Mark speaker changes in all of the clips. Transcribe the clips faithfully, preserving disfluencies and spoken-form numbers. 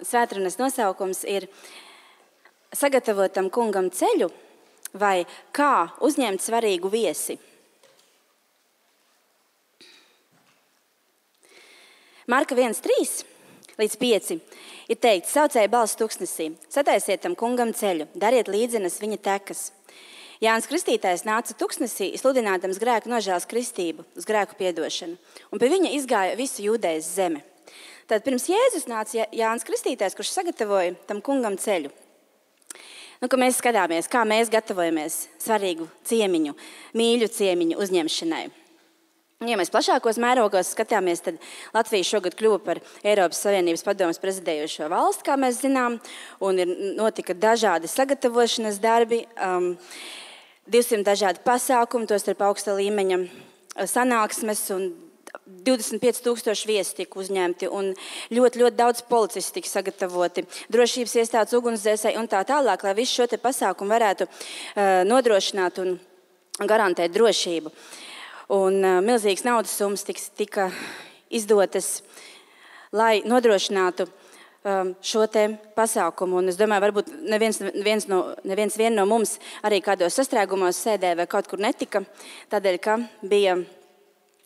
Speaker 1: Svētrunas nosaukums ir sagatavotam kungam ceļu vai kā uzņemt svarīgu viesi. Marka viens trīs līdz pieci ir teikts: saucēja balss tuksnesī, sataisiet tam kungam ceļu, dariet līdzenas viņa tekas. Jānis Kristītājs nāca tuksnesī, sludinādams grēku nožēlas kristību, uz grēku piedošanu, un pie viņa izgāja visu Jūdejas zeme. Tad pirms Jēzus nāca Jānis Kristītājs, kurš sagatavoja tam kungam ceļu. Nu, ka mēs skatāmies, kā mēs gatavojamies svarīgu ciemiņu, mīļu ciemiņu uzņemšanai. Ja mēs plašākos mērogos skatāmies, tad Latvija šogad kļuva par Eiropas Savienības padomes prezidējošo valsti, kā mēs zinām, un ir notika dažādi sagatavošanas darbi, um, divsimt dažādi pasākumi, tos starp augsta līmeņa sanāksmes, un divdesmit pieci tūkstoši viesi tika uzņemti, un ļoti, ļoti daudz policisti tika sagatavoti, drošības iestādes, ugunsdzēsēji un tā tālāk, lai visu šo te pasākumu varētu uh, nodrošināt un garantēt drošību. Un uh, milzīgas naudas summas tika, tika izdotas, lai nodrošinātu um, šo te pasākumu. Un es domāju, varbūt neviens, neviens, no, neviens vien no mums arī kādos sastrēgumos sēdē vai kaut kur netika, tādēļ, ka bija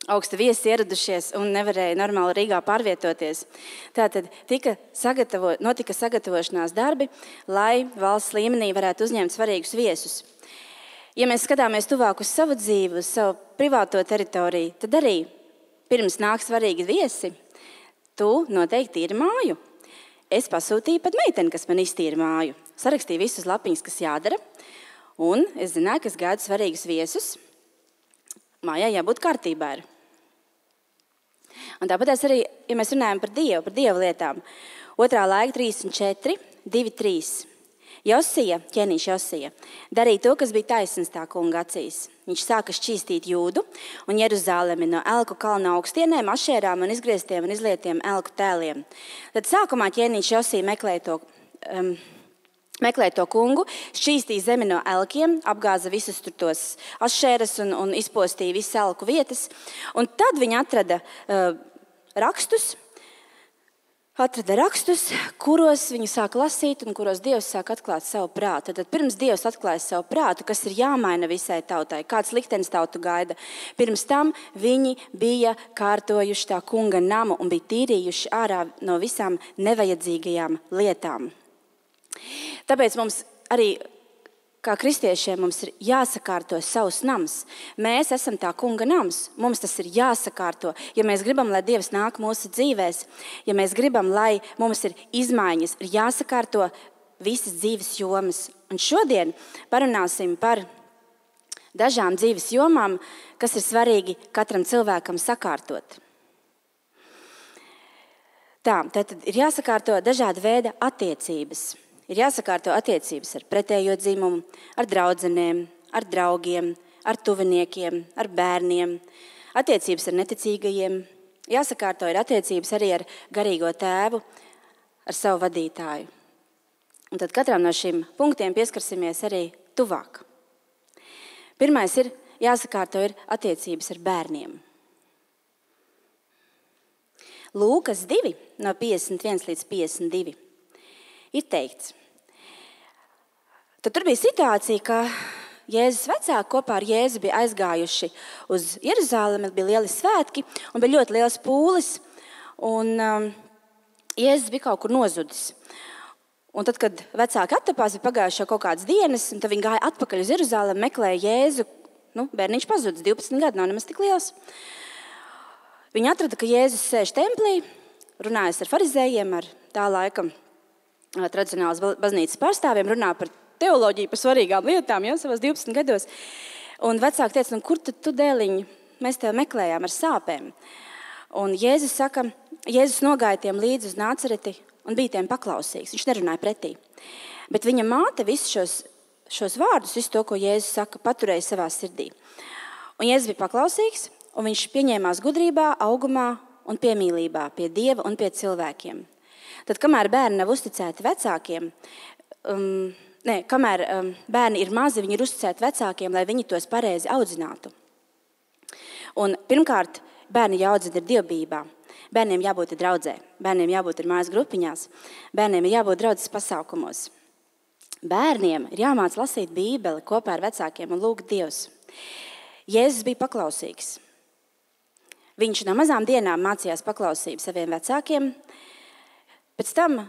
Speaker 1: augsta viesi ieradušies un nevarēja normāli Rīgā pārvietoties. Tātad tika sagatavo, notika sagatavošanās darbi, lai valsts līmenī varētu uzņemt svarīgus viesus. Ja mēs skatāmies tuvāk uz savu dzīvi, uz savu privāto teritoriju, tad arī pirms nāk svarīgi viesi, tu noteikti tīri māju. Es pasūtīju pat meiteni, kas man iztīra māju. Sarakstīju visus lapiņus, kas jādara, un es zināju, ka es gaidu svarīgus viesus. Mājā jābūt kārtībā. Un tāpat arī, ja mēs runājam par Dievu, par Dievu lietām, otrā laika trīsdesmit četri, divi trīs. Josija, ķēniņš Josija, darīja to, kas bija taisns tā kunga acīs. Viņš sāka šķīstīt Jūdu un Jeruzalemi no elku kalna augstienēm, ašērām un izgrieztiem un izlietiem elku tēliem. Tad sākumā ķēniņš Josija meklēja to, um, meklēja to kungu, šķīstīja zemi no elkiem, apgāza visus tur tos ašēras un, un izpostīja visu elku vietas. Un tad viņi atrada uh, rakstus, atrada rakstus, kuros viņi sāk lasīt un kuros Dievs sāk atklāt savu prātu. Tad pirms Dievs atklāja savu prātu, kas ir jāmaina visai tautai, kāds liktenis tautu gaida, pirms tam viņi bija kārtojuši tā kunga namu un bija tīrījuši ārā no visām nevajadzīgajām lietām. Tāpēc mums arī, kā kristiešiem, mums ir jāsakārto savs nams. Mēs esam tā kunga nams. Mums tas ir jāsakārto. Ja mēs gribam, lai Dievs nāk mūsu dzīvēs, ja mēs gribam, lai mums ir izmaiņas, ir jāsakārto visas dzīves jomas. Un šodien parunāsim par dažām dzīves jomām, kas ir svarīgi katram cilvēkam sakārtot. Tā, tad ir jāsakārto dažāda veida attiecības. Ir jāsakārto attiecības ar pretējo dzimumu, ar draudzenēm, ar draugiem, ar tuviniekiem, ar bērniem, attiecības ar neticīgajiem. Jāsakārto ir attiecības arī ar garīgo tēvu, ar savu vadītāju. Un tad katram no šiem punktiem pieskarsimies arī tuvāk. Pirmais ir jāsakārto ir attiecības ar bērniem. Lūkas divi, no piecdesmit viens līdz piecdesmit divi, ir teikts. Tad tur bija situācija, ka Jēzus vecāki kopā ar Jēzu bija aizgājuši uz Jeruzalemi, bija lieli svētki un bija ļoti liels pūlis, un um, Jēzus bija kaut kur nozudis. Un tad, kad vecāki attapās, bija pagājuši jau kaut kādas dienas, un tad viņi gāja atpakaļ uz Jeruzalemi, meklēja Jēzu. Nu, bērniņš pazudis, divpadsmit gadi, nav nemaz tik liels. Viņi atrada, ka Jēzus sēž templī, runājas ar farizējiem, ar tā laika tradicionālas baznīcas pārstāvjiem, runā par teoloģiju, par svarīgām lietām, jau savos divpadsmit gados. Un vecāki teica, nu kur tad tu dēliņi, mēs tevi meklējām ar sāpēm. Un Jēzus saka, Jēzus nogāja tiem līdzi uz Nācereti un bija tiem paklausīgs. Viņš nerunāja pretī. Bet viņa māte visus šos, šos vārdus, visu to, ko Jēzus saka, paturēja savā sirdī. Un Jēzus bija paklausīgs, un viņš pieņēmās gudrībā, augumā un piemīlībā pie Dieva un pie cilvēkiem. Tad, kamēr bērni nav uzticēti vecākiem, um, ne, kamēr um, bērni ir mazi, viņi ir uzticēti vecākiem, lai viņi tos pareizi audzinātu. Un pirmkārt, bērni jāaudzina ir dievbijībā, Bērniem jābūt ir draudzē, bērniem jābūt ir mājas grupiņās, bērniem ir jābūt draudzes pasākumos. Bērniem ir jāmāc lasīt Bībeli kopā ar vecākiem un lūgt Dievs. Jēzus bija paklausīgs. Viņš no mazām dienām mācījās paklausību saviem vecākiem. Pēc tam,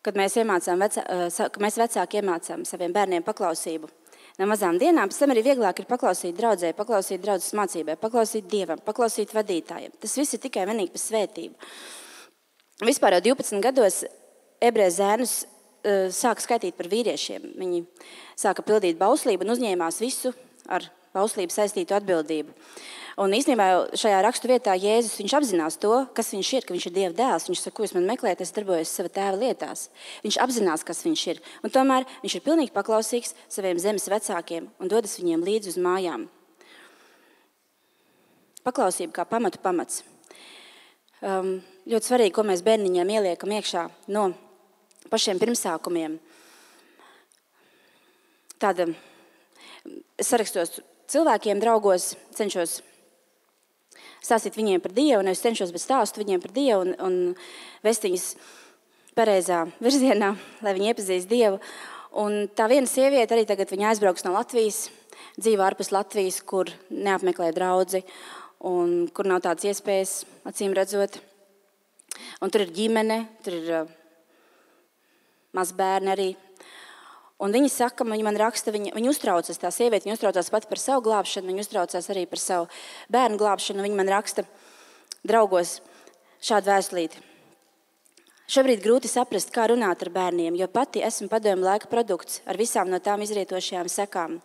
Speaker 1: kad mēs, iemācām, vecā, kad mēs vecāki iemācām saviem bērniem paklausību no mazām dienām, pēc tam arī vieglāk ir paklausīt draudzē, paklausīt draudzes mācībai, paklausīt Dievam, paklausīt vadītājiem. Tas viss ir tikai vienīgi par svētību. Vispār jau divpadsmit gados ebreju zēnus uh, sāka skaitīt par vīriešiem. Viņi sāka pildīt bauslību un uzņēmās visu ar bauslību saistītu atbildību. Un īstenībā jau šajā rakstu vietā Jēzus, viņš apzinās to, kas viņš ir, ka viņš ir Dieva dēls. Viņš saka, ko jūs man meklējat, es darbojos sava tēva lietās. Viņš apzinās, kas viņš ir. Un tomēr viņš ir pilnīgi paklausīgs saviem zemes vecākiem un dodas viņiem līdzi uz mājām. Paklausība kā pamatu pamats. Um, ļoti svarīgi, ko mēs bērniņiem ieliekam iekšā no pašiem pirmsākumiem. Tāda, es sarakstos cilvēkiem, draugos, cenšos stāstīt viņiem par Dievu, un es cenšos, bet stāstu viņiem par Dievu un, un vest viņus pareizā virzienā, lai viņi iepazīst Dievu. Un tā viena sieviete arī tagad viņa aizbrauks no Latvijas, dzīvo ārpus Latvijas, kur neapmeklē draudzi un kur nav tādas iespējas, acīm redzot. Un tur ir ģimene, tur ir uh, mazbērni arī. Un viņa saka, viņa man raksta, viņa, viņa uztraucas, tā sieviete, viņa uztraucas pat par savu glābšanu, viņa uztraucas arī par savu bērnu glābšanu. Viņa man raksta draugos šādu vēstulīti. Šobrīd grūti saprast, kā runāt ar bērniem, jo pati esmu padomu laika produkts ar visām no tām izrietošajām sekām.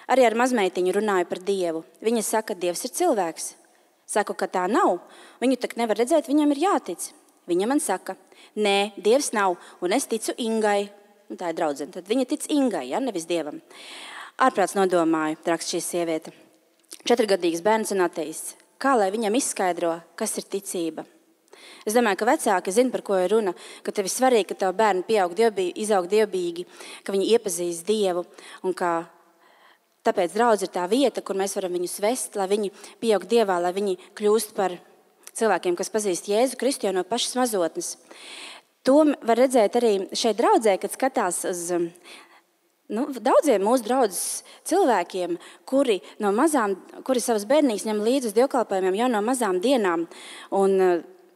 Speaker 1: Arī ar mazmeitiņu runāju par Dievu. Viņa saka, Dievs ir cilvēks. Saku, ka tā nav. Viņu tak nevar redzēt, viņam ir jātic. Viņa man saka, nē, Dievs nav, un es ticu Ingai. Un tā ir draudzene. Tad viņa tic Ingai, ja, nevis Dievam. Ārprāts nodomāju, raksta šī sieviete. Četrgadīgs bērns un ateists. Kā lai viņam izskaidro, kas ir ticība? Es domāju, ka vecāki zina, par ko ir runa, ka tev ir svarīgi, ka tavu bērni pieaug dievbīgi, izaug dievbīgi, ka viņi iepazīst Dievu un ka tāpēc draudz ir tā vieta, kur mēs varam viņus vest, lai viņi pieaug Dievā, lai viņi kļūst par cilvēkiem, kas pazīst Jēzu Kristu jau no pašas mazotnes. To var redzēt arī šeit draudzē, kad skatās uz nu, daudziem mūsu draudzes cilvēkiem, kuri, no mazām, kuri savas bērnības ņem līdzi uz dievkalpojumiem jau no mazām dienām. Un uh,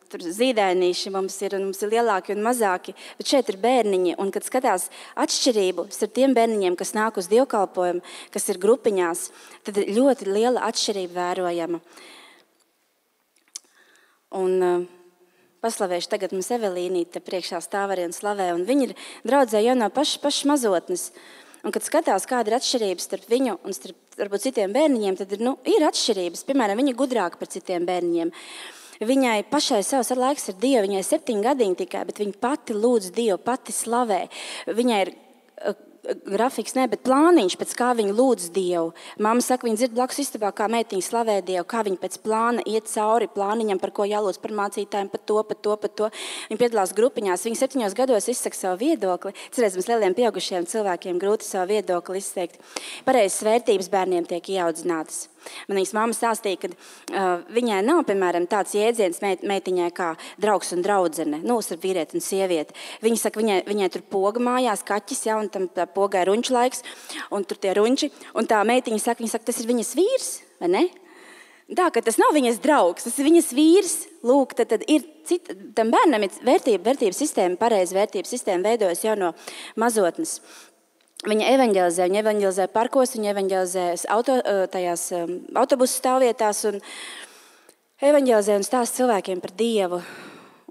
Speaker 1: tur zīdainīši mums ir, un mums ir lielāki un mazāki, bet šeit ir bērniņi. Un kad skatās atšķirību starp tiem bērniņiem, kas nāk uz dievkalpojumu, kas ir grupiņās, tad ir ļoti liela atšķirība vērojama. Un uh, paslavēšu tagad mums Evelīnīte priekšā stāv arī un slavē, un viņi ir draudzē jau no pašas pašas mazotnes. Un kad skatās, kāda ir atšķirības starp viņu un starp varbūt citiem bērniņiem, tad ir, nu, ir atšķirības. Piemēram, viņa gudrāka par citiem bērniņiem. Viņai pašai savs laiks ar Dievu, viņai septiņi gadiņi tikai, bet viņa pati lūdz Dievu, pati slavē. Viņai ir grafiks, ne, bet plāniņš, pēc kā viņa lūdz Dievu. Mamma saka, viņa dzird blakus istabā, kā meitiņa slavē Dievu, kā viņa pēc plāna iet cauri plāniņam, par ko jālūdz, par mācītājiem, par to, par to, par to. Viņa piedalās grupiņās, viņa septiņos gados izsaka savu viedokli. Cerēs, mums lieliem pieaugušiem cilvēkiem grūti savu viedokli izteikt. Pareizas vērtības bērniem tiek ieaudzinātas. Man viņas mamma stāstīja, ka uh, viņai nav, piemēram, tāds jēdziens meit, meitiņai kā draugs un draudzene, nu, starp vīrieti un sievieti. Viņa saka, viņai, viņai tur poga mājās, kaķis, ja, un tam tā pogai runču laiks, un tur tie runči, un tā meitiņa saka, viņa saka, tas ir viņas vīrs, vai ne? Tā, ka tas nav viņas draugs, tas ir viņas vīrs, lūk, tad, tad ir cita, tam bērnam ir vērtība, vērtības sistēma, pareiza vērtības sistēma veidojas jau no mazotnes. Viņa evaņģelizē, viņa evaņģelizē parkos, viņa evaņģelizē auto, tajās autobusu stāvvietās un evaņģelizē un stāsta cilvēkiem par Dievu.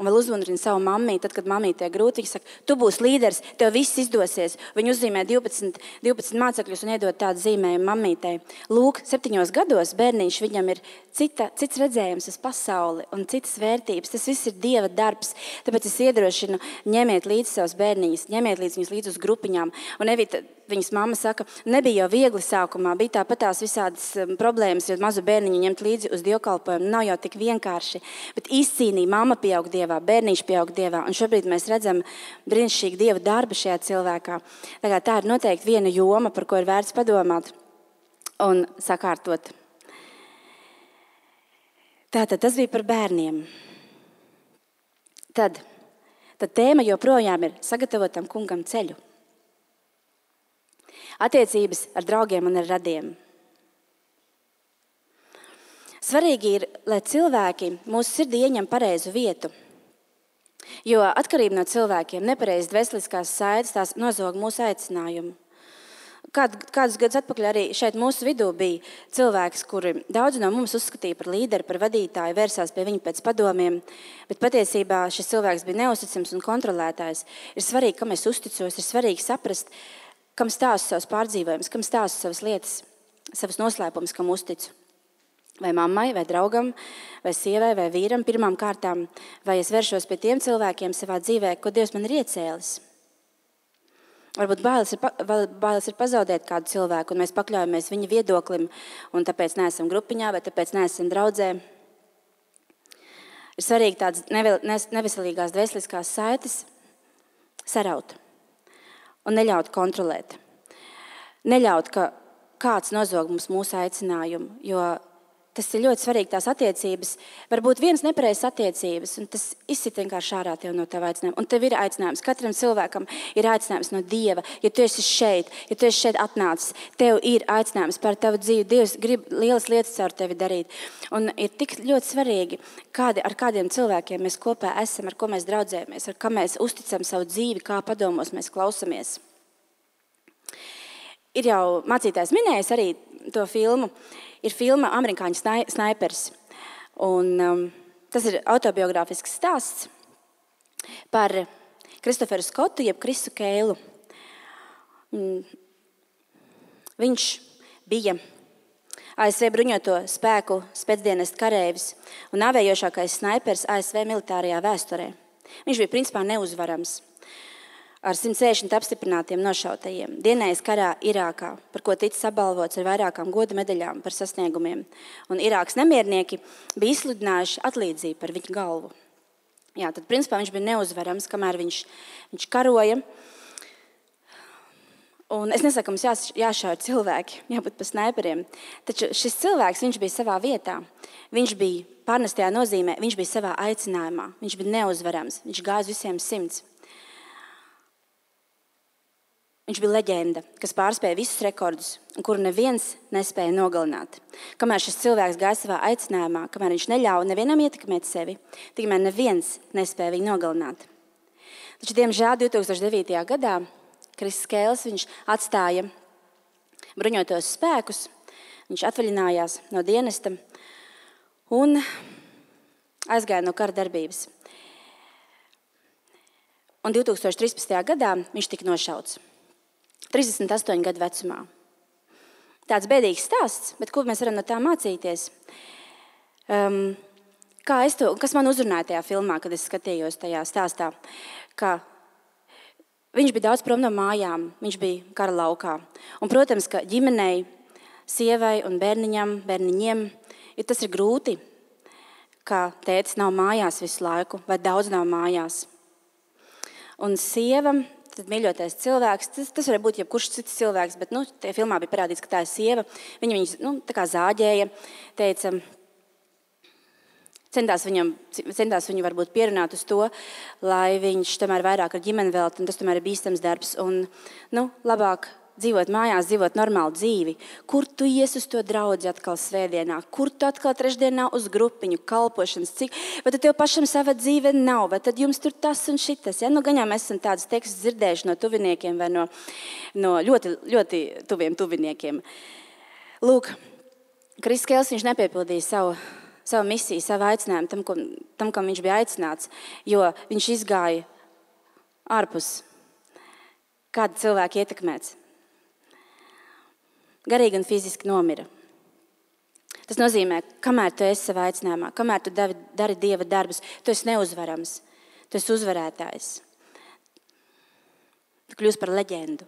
Speaker 1: Un vēl uzrunā savu mammīti, tad, kad mammīte ir grūti, viņa saka, tu būsi līderis, tev viss izdosies. Viņa uzzīmē divpadsmit, divpadsmit mācekļus un iedod tādu zīmējumu mammītei. Lūk, septiņos gados bērniņš viņam ir cita, cits redzējums uz pasauli un citas vērtības. Tas viss ir Dieva darbs. Tāpēc es iedrošinu, ņemiet līdzi savus bērniņus, ņemiet līdzi viņus līdzi uz grupiņām. Un Evita, viņas mamma saka, nebija jau viegli sākumā, bija tāpat tās visādas problēmas, jo mazu bērniņu ņemt līdzi uz dievkalpojumu nav jau tik vienkārši. Bet izcīnīja, mamma pieaug Dievā, bērniņš pieaug Dievā, un šobrīd mēs redzam brīnišķīgu Dieva darbu šajā cilvēkā. Tā, tā ir noteikti viena joma, par ko ir vērts padomāt un sakārtot. Tātad tas bija par bērniem. tad? Tad tēma joprojām ir sagatavot tam kungam ceļu. Attiecības ar draugiem un ar radiem. Svarīgi ir, lai cilvēki mūsu sirdī ieņem pareizu vietu, jo atkarība no cilvēkiem, nepareizas dvēseliskās saites, tās nozog mūsu aicinājumu. Kād, kādus gadus atpakaļ arī šeit mūsu vidū bija cilvēks, kuri daudz no mums uzskatīja par līderi, par vadītāju, vērsās pie viņa pēc padomiem, bet patiesībā šis cilvēks bija neusticams un kontrolētājs. Ir svarīgi, kam es uzticos, ir svarīgi saprast, kam stāstu savus pārdzīvojumus, kam stāstu savas lietas, savas noslēpumus, kam uzticu. Vai mammai, vai draugam, vai sievai, vai vīram pirmām kārtām, vai es vēršos pie tiem cilvēkiem savā dzīvē, ko Dievs man ir iecēlis. Varbūt bailes ir, bailes ir pazaudēt kādu cilvēku, un mēs pakļaujamies viņa viedoklim, un tāpēc neesam grupiņā, vai tāpēc neesam draudzē. Ir svarīgi tādas neveselīgās dvēseliskās saites saraut un neļaut kontrolēt. Neļaut, ka kāds nozog mums mūsu aicinājumu, jo tas ir ļoti svarīgi, tās attiecības. Varbūt viens nepareizs attiecības, un tas izsit vienkārši ārā tev no tava aicinājuma. Un tev ir aicinājums. Katram cilvēkam ir aicinājums no Dieva. Ja tu esi šeit, ja tu esi šeit atnācis, tev ir aicinājums par tavu dzīvi. Dievs grib lielas lietas caur tevi darīt. Un ir tik ļoti svarīgi, kādi, ar kādiem cilvēkiem mēs kopā esam, ar ko mēs draudzējamies, ar kā mēs uzticam savu dzīvi, kā padomos mēs klausamies. Ir jau mācītājs minējis arī to filmu. Ir filma Amerikāņu snaipers. Un, um, tas ir autobiogrāfisks stāsts par Kristoferu Skotu, jeb Krisu Keilu. Un viņš bija A S V bruņoto spēku spēcdienestu kareivis un nāvējošākais snaipers A S V militārajā vēsturē. Viņš bija principā neuzvarams. Ar simt sešdesmit apstiprinātiem nošautajiem, dienējis karā Irākā, par ko ticis apbalvots ar vairākām goda medaļām par sasniegumiem. Un Irākas nemiernieki bija izsludinājuši atlīdzību par viņu galvu. Jā, tad principā viņš bija neuzvarams, kamēr viņš, viņš karoja. Un es nesaku, ka mums jās, jāšauj cilvēki, jābūt pa snaiperiem. Taču šis cilvēks, viņš bija savā vietā. Viņš bija pārnestajā nozīmē, viņš bija savā aicinājumā. Viņš bija neuzvarams, viņš gāja visiem simts. Viņš bija leģenda, kas pārspēja visus rekordus, un kuru neviens nespēja nogalināt. Kamēr šis cilvēks gāja savā aicinājumā, kamēr viņš neļauj nevienam ietekmēt sevi, tikmēr neviens nespēja viņu nogalināt. Taču, diemžēl, divi tūkstoši devītajā gadā Kriss Keils viņš atstāja bruņotos spēkus, viņš atvaļinājās no dienesta un aizgāja no kara darbības. Un divi tūkstoši trīspadsmitajā gadā viņš tika nošauts. trīsdesmit astoņu gadu vecumā. Tāds bēdīgs stāsts, bet ko mēs varam no tā mācīties? Um, kā es to, kas man uzrunāja tajā filmā, kad es skatījos tajā stāstā? Ka viņš bija daudz prom no mājām, viņš bija kara laukā. Un, protams, ka ģimenei, sievai un bērniņam, bērniņiem, ja tas ir grūti, ka tētis nav mājās visu laiku, vai daudz nav mājās. Un sieva, tad mīļotais cilvēks, tas, tas var būt jebkurš cits cilvēks, bet nu, tajā filmā bija parādīts, ka tā ir sieva. Viņa viņu nu, tā kā zāģēja, teica, centās, viņam, centās viņu varbūt pierunāt uz to, lai viņš tomēr vairāk ar ģimeni velta, un tas tomēr ir bīstams darbs. Un, nu, labāk dzīvot mājās, dzīvot normālu dzīvi. Kur tu ies uz to draudzi atkal svētdienā? Kur tu atkal trešdienā uz grupiņu, kalpošanas? Cik? Vai tad tev pašam sava dzīve nav? Vai tad jums tur tas un šitas? Ja? Nu, gaņā mēs esam tādus tekstus dzirdējuši no tuviniekiem vai no, no ļoti, ļoti tuviem tuviniekiem. Lūk, Kriss Keils, viņš nepiepildīja savu, savu misiju, savu aicinājumu tam, ko, tam, kam viņš bija aicināts, jo viņš izgāja ārpus kāda cilvēka ietekmēts. Garīgi un fiziski nomira. Tas nozīmē, kamēr tu esi savā aicinājumā, kamēr tu dari, dari Dieva darbus, tu esi neuzvarams, tu esi uzvarētājs. Tu kļūsi par leģendu.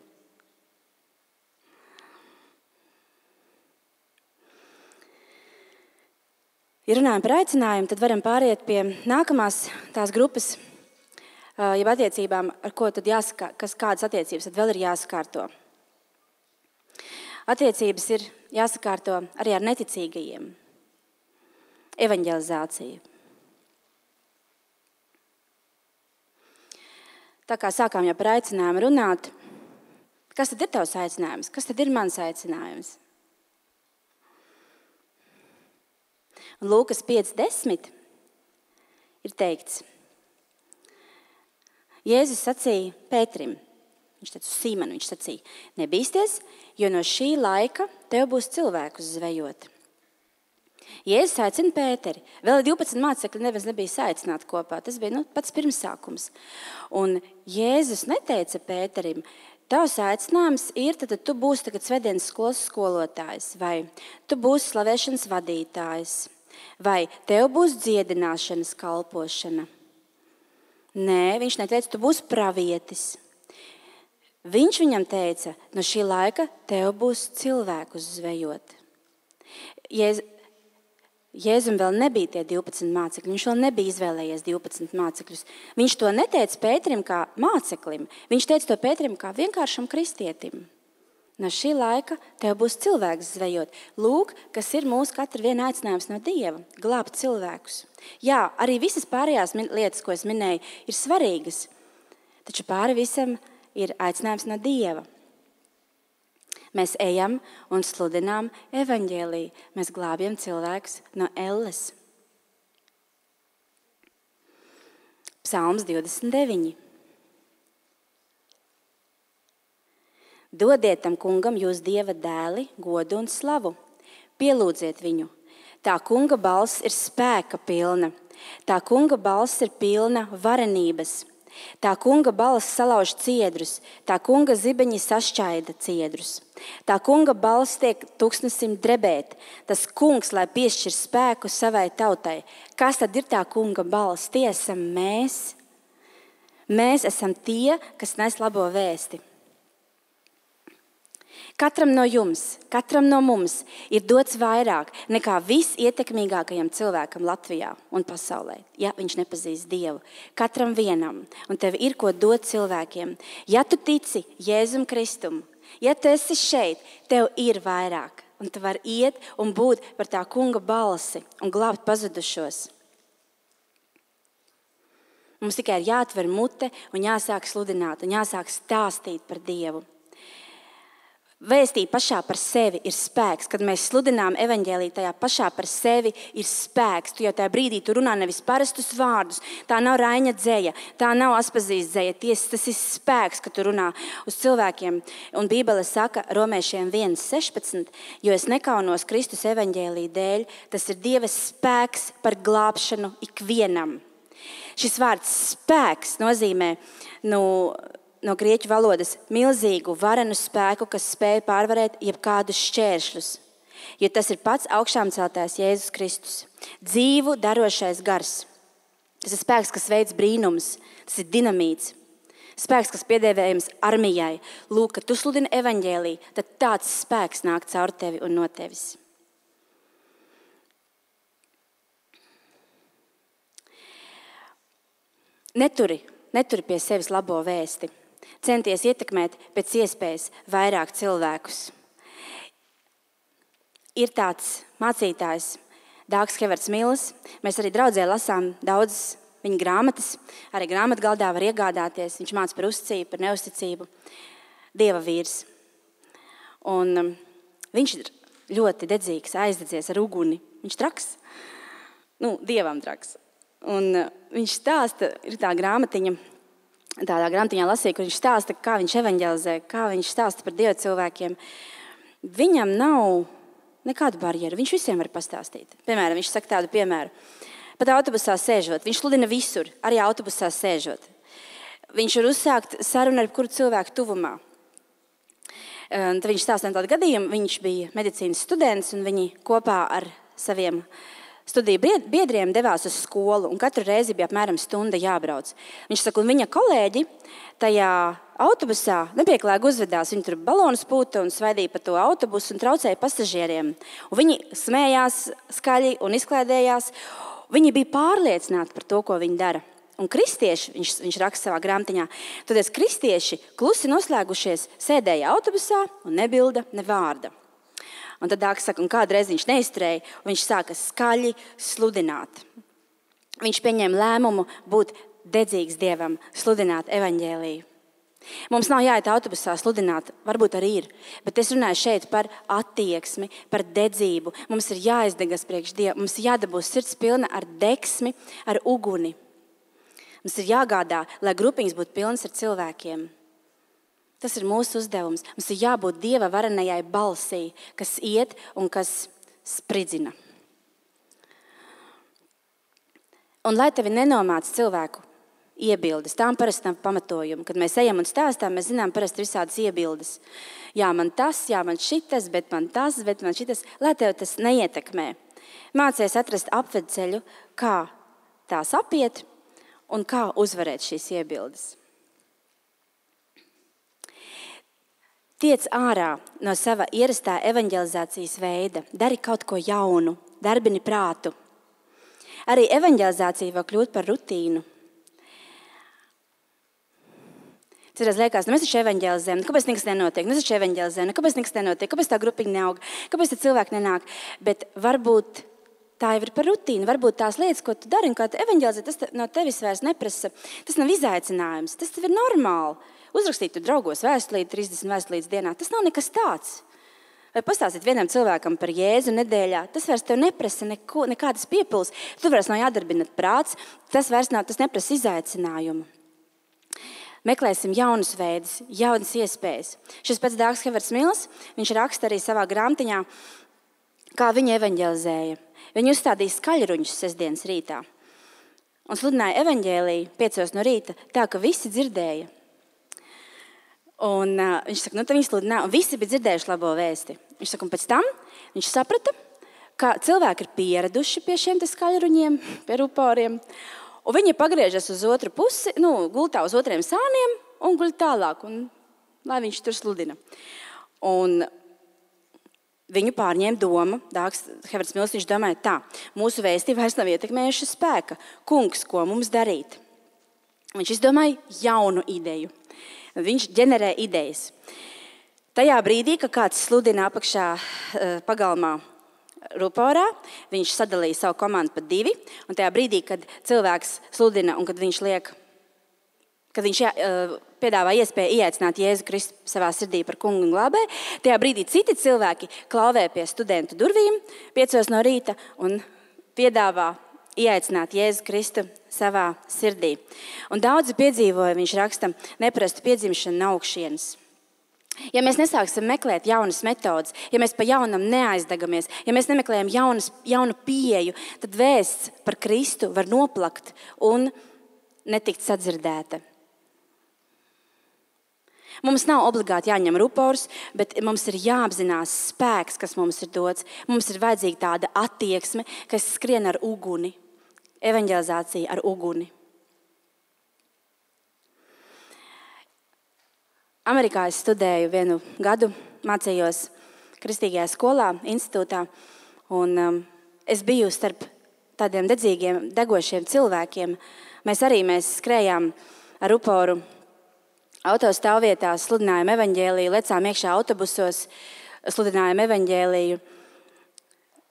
Speaker 1: Ja runājam par aicinājumu, tad varam pāriet pie nākamās tās grupas, jeb attiecībām, ar ko tad jāsaka, kas kādas attiecības tad vēl ir jāsakārto. Attiecības ir jāsakārto arī ar neticīgajiem. Evaņģelizācija. tā kā sākām jau par aicinājumu runāt, kas tad ir tavs aicinājums? Kas tad ir mans aicinājums? Un Lūkas pieci desmit ir teikts, Jēzus sacīja Pēterim, viņš teica uz Sīmanu, viņš sacīja, nebīsties, jo no šī laika tev būs cilvēkus zvejot. Jēzus aicina Pēteri. Vēl divpadsmit mācekļi neviens nebija saicināti kopā. Tas bija nu, pats pirmsākums. Un Jēzus neteica Pēterim, tavs aicinājums ir, tad tu būsi tagad svētdienas skolas skolotājs, vai tu būsi slavēšanas vadītājs, vai tev būs dziedināšanas kalpošana. Nē, viņš neteica, tu būsi pravietis. Viņš viņam teica, no šī laika tev būs cilvēkus zvejot. Jēz, Jēzum vēl nebija tie divpadsmit mācekļi, viņš vēl nebija izvēlējies divpadsmit mācekļus. Viņš to neteica Pēterim kā māceklim, viņš teica to Pēterim kā vienkāršam kristietim. No šī laika tev būs cilvēks zvejot. Lūk, kas ir mūsu katra viena aicinājums no Dieva, glābt cilvēkus. Jā, arī visas pārējās lietas, ko es minēju, ir svarīgas, taču pāri visam ir aicinājums no Dieva. Mēs ejam un sludinām evaņģēliju. Mēs glābjam cilvēkus no elles. Psalms divdesmit deviņi. Dodiet tam kungam jūs Dieva dēli, godu un slavu. Pielūdziet viņu. Tā kunga balss ir spēka pilna. Tā kunga balss ir pilna varenības. Tā kunga balss salauž ciedrus, tā kunga zibeņi sašķaida ciedrus. Tā kunga balss tiek tūkstnesim drebēt. Tas kungs, lai piešķir spēku savai tautai. Kas tad ir tā kunga balss? Tie esam mēs. Mēs esam tie, kas nes labo vēsti. Katram no jums, katram no mums ir dots vairāk nekā visietekmīgākajam cilvēkam Latvijā un pasaulē, ja viņš nepazīst Dievu. Katram vienam. Un tev ir ko dot cilvēkiem. Ja tu tici Jēzum Kristum, ja tu esi šeit, tev ir vairāk. Un tu vari iet un būt par tā kunga balsi un glābt pazudušos. Mums tikai ir jāatver mute un jāsāk sludināt un jāsāk stāstīt par Dievu. Vēstīt pašā par sevi ir spēks. Kad mēs sludinām evaņģēliju, tajā pašā par sevi ir spēks. Tu jau tajā brīdī tu runā nevis parastus vārdus. Tā nav Raiņa dzeja, tā nav Aspazīst dzeja. Ties, tas ir spēks, ka tu runā uz cilvēkiem. Un Bībele saka Romiešiem viens sešpadsmit, jo es nekaunos Kristus evaņģēliju dēļ, tas ir Dieva spēks par glābšanu ikvienam. Šis vārds spēks nozīmē, nu, no grieķu valodas milzīgu, varenu spēku, kas spēj pārvarēt jebkādus šķēršļus. Jo tas ir pats augšām celtais Jēzus Kristus. Dzīvu darošais gars. Tas ir spēks, kas veic brīnums. Tas ir dinamīts. Spēks, kas piedēvējams armijai. Lūk, kad tu sludini evaņģēliju, tad tāds spēks nāk caur tevi un no tevis. Neturi, neturi pie sevis labo vēsti. Centies ietekmēt pēc iespējas vairāk cilvēkus. Ir tāds mācītājs, Dāgs Hevards Mills. Mēs arī draudzē lasām daudzas viņa grāmatas. Arī grāmatgaldā var iegādāties. Viņš māca par uzticību, par neusticību. Dieva vīrs. Un um, viņš ir ļoti dedzīgs, aizdedzies ar uguni. Viņš traks. Nu, Dievam traks. Un uh, viņš stāsta, ir tā grāmatiņa, tādā grāmatiņā lasīja, kur viņš stāsta, kā viņš evaņģelizē, kā viņš stāsta par Dievu cilvēkiem. Viņam nav nekādu barjeru, viņš visiem var pastāstīt. Piemēram, viņš saka tādu piemēru. Pat autobusā sēžot, viņš sludina visur, arī autobusā sēžot. Viņš var uzsākt sarunu ar kuru cilvēku tuvumā. Tad viņš stāsta tādu gadījumu, viņš bija medicīnas students un viņi kopā ar saviem studiju biedriem devās uz skolu, un katru reizi bija apmēram stunda jābrauc. Viņš saka, un viņa kolēģi tajā autobusā nepieklājīgi uzvedās. Viņi tur balonus pūta un svaidīja pa to autobusu un traucēja pasažieriem. Un viņi smējās skaļi un izklaidējās. Viņi bija pārliecināti par to, ko viņi dara. Un kristieši, viņš, viņš raksta savā grāmatiņā, tad kristieši klusi noslēgušies sēdēja autobusā un nebilda ne vārda. Un tad Dāks saka, un kādreiz viņš neizturēja, un viņš sāka skaļi sludināt. Viņš pieņēma lēmumu būt dedzīgs Dievam, sludināt evaņģēliju. Mums nav jāiet autobusā sludināt, varbūt arī ir, bet es runāju šeit par attieksmi, par dedzību. Mums ir jāizdegas priekš Dievu, mums ir jādabūs sirds pilna ar deksmi, ar uguni. Mums ir jāgādā, lai grupiņas būtu pilnas ar cilvēkiem. Tas ir mūsu uzdevums. Mums ir jābūt Dieva varenajai balsī, kas iet un kas spridzina. Un lai tevi nenomāc cilvēku iebildes, tām parasti nav pamatojuma. Kad mēs ejam un stāstām, mēs zinām parasti visādas iebildes. Jā, man tas, jā, man šitas, bet man tas, bet man šitas. Lai tev tas neietekmē. Mācies atrast apvedceļu, kā tās apiet un kā uzvarēt šīs iebildes. Tiec ārā no sava ierastā evaņģelizācijas veida, dari kaut ko jaunu, darbini prātu. Arī evaņģelizācija var kļūt par rutīnu. Citreiz liekas, nu mēs taču evaņģelizējam, kāpēc nekas nenotiek, nu mēs taču evaņģelizējam, nu kāpēc nekas nenotiek, kāpēc tā grupiņa neaug, kāpēc tā cilvēki nenāk. Bet varbūt tā jau ir par rutīnu, varbūt tās lietas, ko tu dari un kā tu evaņģelizē, tas no tevis vairs neprasa, tas nav izaicinājums, tas tev ir normāli. Uzrakstīt tu draugos vēstulīti, trīsdesmit vēstulītes dienā, tas nav nekas tāds. Vai pastāstīt vienam cilvēkam par Jēzu nedēļā, tas vairs tev neprasa neko, nekādas piepils, tu vairs nav jādarbina prāts, tas vairs nav, tas neprasa izaicinājumu. Meklēsim jaunus veidus, jaunas iespējas. Šis pats Dārgs Heverts Mils, viņš raksta arī savā grāmatiņā, kā viņi evaņģelizēja. Viņi uzstādīja skaļruņus sestdienas rītā un sludināja evaņģēliju piecos no rīta, tā ka visi dzirdēja. Un uh, viņš saka, nu tad viņi sludināja, un visi bija dzirdējuši labo vēsti. Viņš saka, un pēc tam viņš saprata, ka cilvēki ir pieraduši pie šiem te skaļruņiem, pie ruporiem, un viņi pagriežas uz otru pusi, nu, gultā uz otriem sāniem un guļ tālāk, un lai viņš tur sludina. Un viņu pārņēma doma, Dārgs Heverts Mils, viņš domāja tā, mūsu vēsti vairs nav ietekmējuši spēka. Kungs, ko mums darīt? Viņš izdomāja jaunu ideju. Viņš ģenerē idejas. Tajā brīdī, kad kāds sludina apakšā pagalmā ruporā, viņš sadalīja savu komandu pa divi, un tajā brīdī, kad cilvēks sludina un kad viņš liek, kad viņš jā, piedāvā iespēju ieaicināt Jēzu Kristu savā sirdī par kungu un glābēju, tajā brīdī citi cilvēki klauvē pie studentu durvīm piecos no rīta un piedāvā ieaicināt Jēzu Kristu savā sirdī. Un daudzi piedzīvoja, viņš raksta, neparastu piedzimšanu no augšienes. Ja mēs nesāksim meklēt jaunas metodas, ja mēs pa jaunam neaizdagamies, ja mēs nemeklējam jaunas, jaunu pieeju, tad vēsts par Kristu var noplakt un netikt sadzirdēta. Mums nav obligāti jāņem rupors, bet mums ir jāapzinās spēks, kas mums ir dots. Mums ir vajadzīga tāda attieksme, kas skrien ar uguni, evaņģelizācija ar uguni. Amerikā es studēju vienu gadu, mācījos kristīgajā skolā, institūtā, un um, es biju starp tādiem dedzīgiem, degošiem cilvēkiem. Mēs arī mēs skrējām ar ruporu autostāvvietās, sludinājām evaņģēliju, lecām iekšā autobusos, sludinājām evaņģēliju,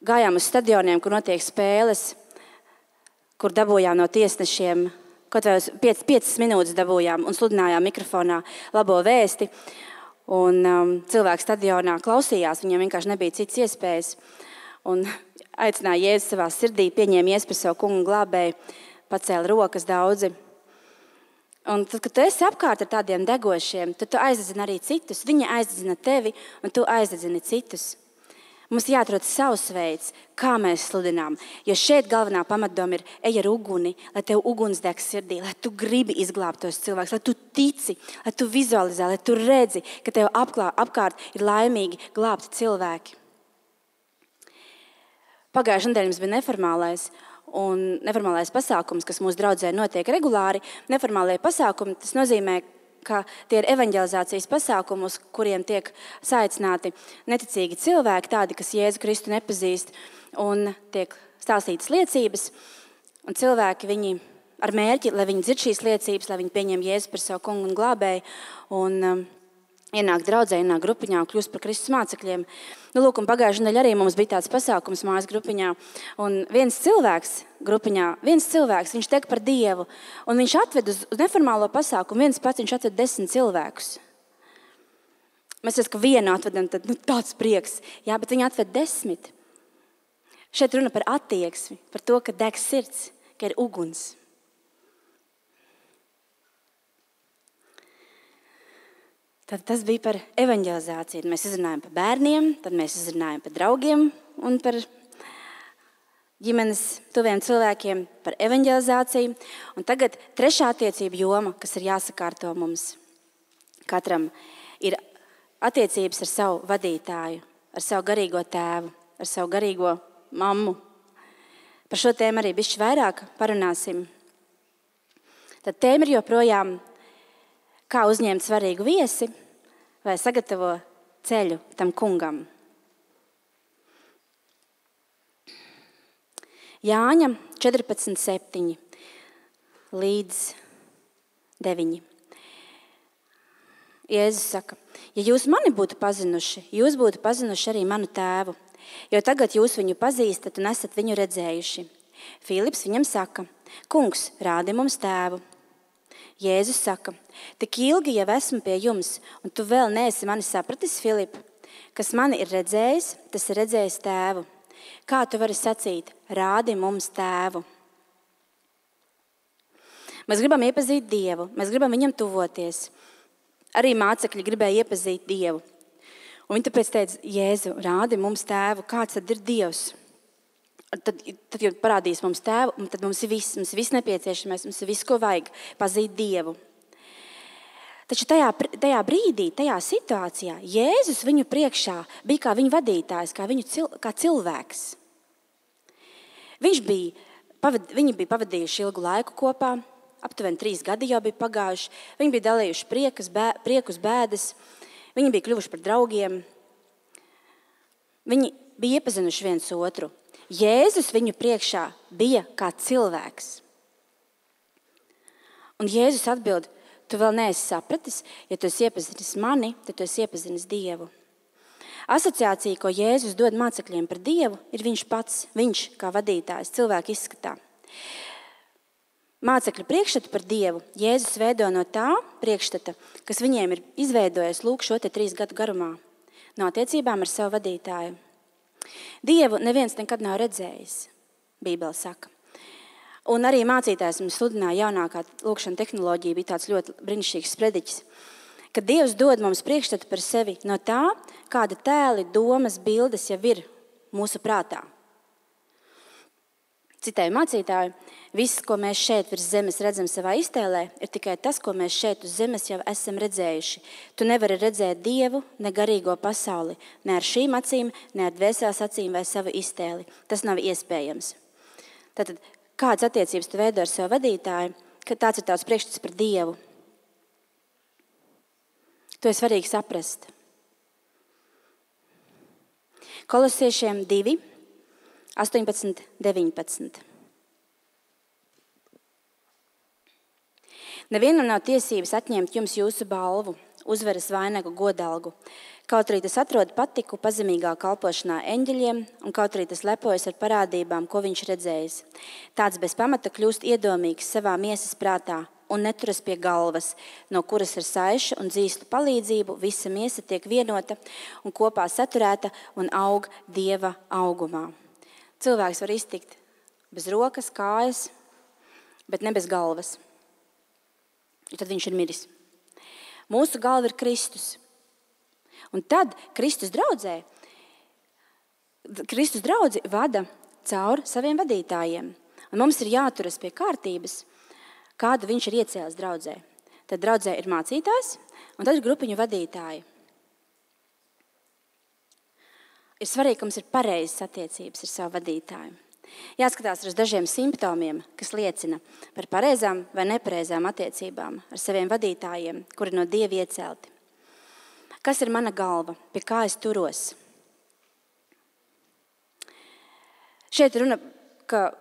Speaker 1: gājām uz stadioniem, kur notiek spēles, kur dabūjām no tiesnešiem, kaut vai piec, piecas minūtes dabūjām un sludinājām mikrofonā labo vēsti. Un um, cilvēki stadionā klausījās, viņiem vienkārši nebija citas iespējas. Un aicināja Jēzu savā sirdī, pieņēma Jēzu par savu kungu glābēju, pacēla rokas daudzi. Un tad, kad tu esi apkārt ar tādiem degošiem, tad tu aizdedzini arī citus. Viņi aizdedzina tevi un tu aizdedzini citus. Mums jāatrod savs veids, kā mēs sludinām. Jo šeit galvenā pamatdoma ir ej ar uguni, lai tev uguns deg sirdī, lai tu gribi izglābt tos cilvēkus, lai tu tici, lai tu vizualizē, lai tu redzi, ka tev apklā, apkārt ir laimīgi glābti cilvēki. Pagājušajā nedēļā mums bija neformālais, un neformālais pasākums, kas mūsu draudzē notiek regulāri. Neformālie pasākumi, tas nozīmē, ka tie ir evaņģelizācijas pasākumi, uz kuriem tiek saicināti neticīgi cilvēki, tādi, kas Jēzu Kristu nepazīst, un tiek stāstītas liecības, un cilvēki viņi ar mērķi, lai viņi dzird šīs liecības, lai viņi pieņem Jēzu par savu kungu un glābēju, un um, ienāk draudzē, ienāk grupiņā un kļūst par Kristus mācekļiem. Nu, lūk, un pagājušajā nedēļā arī mums bija tāds pasākums mājas grupiņā. Un viens cilvēks grupiņā, viens cilvēks, viņš tek par Dievu. Un viņš atved uz, uz neformālo pasākumu, viens pats viņš atved desmit cilvēkus. Mēs esam, ka vienu atvedam, tad nu, tāds prieks. Jā, bet viņi atved desmit. Šeit runa par attieksmi, par to, ka deg sirds, ka ir uguns. Tad tas bija par evanģelizāciju. Mēs izrunājam par bērniem, tad mēs izrunājam par draugiem un par ģimenes tuviem cilvēkiem, par evanģelizāciju. Un tagad trešā attiecība joma, kas ir jāsakārto mums. Katram ir attiecības ar savu vadītāju, ar savu garīgo tēvu, ar savu garīgo mammu. Par šo tēmu arī bišķi vairāk parunāsim. Tad tēma ir joprojām, kā uzņemt svarīgu viesi vai sagatavo ceļu tam kungam. Jāņa četrpadsmit septiņi līdz deviņi. Jēzus saka, ja jūs mani būtu pazinuši, jūs būtu pazinuši arī manu tēvu, jo tagad jūs viņu pazīstat un esat viņu redzējuši. Filips viņam saka, kungs, rādi mums tēvu. Jēzus saka, tik ilgi jau esmu pie jums, un tu vēl neesi mani sapratis, Filip. Kas mani ir redzējis, tas ir redzējis tēvu. Kā tu vari sacīt, rādi mums tēvu? Mēs gribam iepazīt Dievu, mēs gribam viņam tuvoties. Arī mācekļi gribēja iepazīt Dievu. Un viņi tāpēc teica, Jēzu, rādi mums tēvu, kāds tad ir Dievs? Tad, tad, kad parādīs mums tēvu, tad mums ir viss, mums ir viss nepieciešamais, mums ir viss, ko vajag pazīt Dievu. Taču tajā, tajā brīdī, tajā situācijā, Jēzus viņu priekšā bija kā viņa vadītājs, kā, viņu cil, kā cilvēks. Viņš bija, pavad, viņi bija pavadījuši ilgu laiku kopā, aptuveni trīs gadi jau bija pagājuši, viņi bija dalījuši priekas, bē, priekus, bēdas, viņi bija kļuvuši par draugiem, viņi bija iepazinuši viens otru. Jēzus viņu priekšā bija kā cilvēks. Un Jēzus atbild, tu vēl neesi sapratis, ja tu esi iepazinis mani, tad tu esi iepazinis Dievu. Asociācija, ko Jēzus dod mācekļiem par Dievu, ir viņš pats, viņš kā vadītājs, cilvēka izskatā. Mācekļu priekšstatu par Dievu Jēzus veido no tā priekšstata, kas viņiem ir izveidojis lūk šo te trīs gadu garumā, no attiecībām ar savu vadītāju. Dievu neviens nekad nav redzējis, Bībele saka. Un arī mācītājs mums sludināja jaunākā lūkšana tehnoloģija, bija tāds ļoti brīnišķīgs sprediķis, ka Dievs dod mums priekšstatu par sevi no tā, kāda tēli, domas, bildes jau ir mūsu prātā. Citēju mācītāju, viss, ko mēs šeit virs zemes redzam savā iztēlē, ir tikai tas, ko mēs šeit uz zemes jau esam redzējuši. Tu nevari redzēt Dievu, ne garīgo pasauli, ne ar šīm acīm, ne ar dvēseles acīm vai savu iztēli. Tas nav iespējams. Tātad, kādas attiecības tu veido ar savu vadītāju, ka tāds ir tavs priekšstats par Dievu? To ir svarīgi saprast. Kolosiešiem divi. astoņpadsmit, deviņpadsmit. Nevienam nav tiesības atņemt jums jūsu balvu, uzvaras vainagu, godalgu. Kaut arī tas atrod patiku pazemīgā kalpošanā eņģeļiem, un kaut arī tas lepojas ar parādībām, ko viņš redzējis. Tāds bez pamata kļūst iedomīgs savā miesas prātā un neturas pie galvas, no kuras ar saišu un dzīslu palīdzību visa miesa tiek vienota un kopā saturēta un aug Dieva augumā. Cilvēks var iztikt bez rokas, kājas, bet ne bez galvas. Un tad viņš ir miris. Mūsu galva ir Kristus. Un tad Kristus draudzē, Kristus draudzi vada caur saviem vadītājiem. Un mums ir jāturas pie kārtības, kādu viņš ir iecēlis draudzē. Tad draudzē ir mācītājs, un tad ir grupiņu vadītāji. Ir svarīgi, ka mums ir pareizas attiecības ar savu vadītāju. Jāskatās uz dažiem simptomiem, kas liecina par pareizām vai nepareizām attiecībām ar saviem vadītājiem, kuri no Dieva iecelti. Kas ir mana galva, pie kā es turos? Šeit runa, ka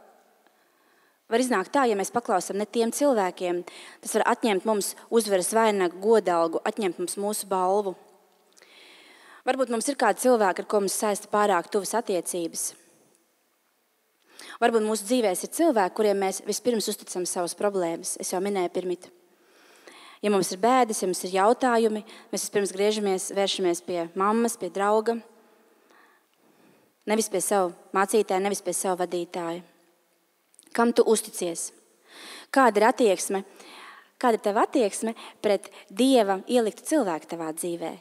Speaker 1: var iznākt tā, ja mēs paklausām ne tiem cilvēkiem, tas var atņemt mums uzvaras vainagu, godalgu, atņemt mums mūsu balvu. Varbūt mums ir kādi cilvēki, ar ko mums saista pārāk tuvas attiecības. Varbūt mūsu dzīvēs ir cilvēki, kuriem mēs vispirms uzticam savas problēmas. Es jau minēju pirmīt. Ja mums ir bēdas, ja mums ir jautājumi, mēs vispirms griežamies, vēršamies pie mammas, pie drauga. Nevis pie savu mācītāja, nevis pie savu vadītāja. Kam tu uzticies? Kāda ir attieksme? Kāda ir tava attieksme pret Dieva ieliktu cilvēku tavā dzīvē?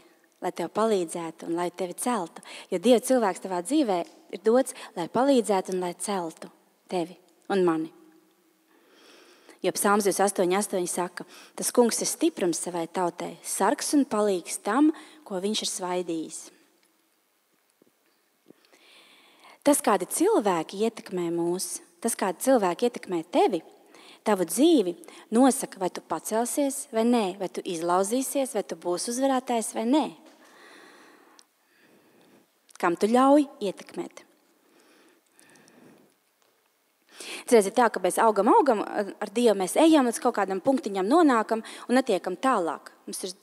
Speaker 1: Lai tev palīdzētu un lai tevi celtu. Jo Dieva cilvēks tavā dzīvē ir dots, lai palīdzētu un lai celtu tevi un mani. Jo Psalms divdesmit astoņi astoņi saka, tas kungs ir stiprums savai tautai, sargs un palīgs tam, ko viņš ir svaidījis. Tas, kādi cilvēki ietekmē mūs, tas, kādi cilvēki ietekmē tevi, tavu dzīvi, nosaka, vai tu pacelsies vai nē, vai tu izlauzīsies, vai tu būsi uzvarētājs vai nē. Kam tu ļauj ietekmēt? Cerēs ir tā, ka mēs augam, augam ar Dievu, mēs ejam līdz kaut kādam punktiņam, nonākam un netiekam tālāk. Mums ir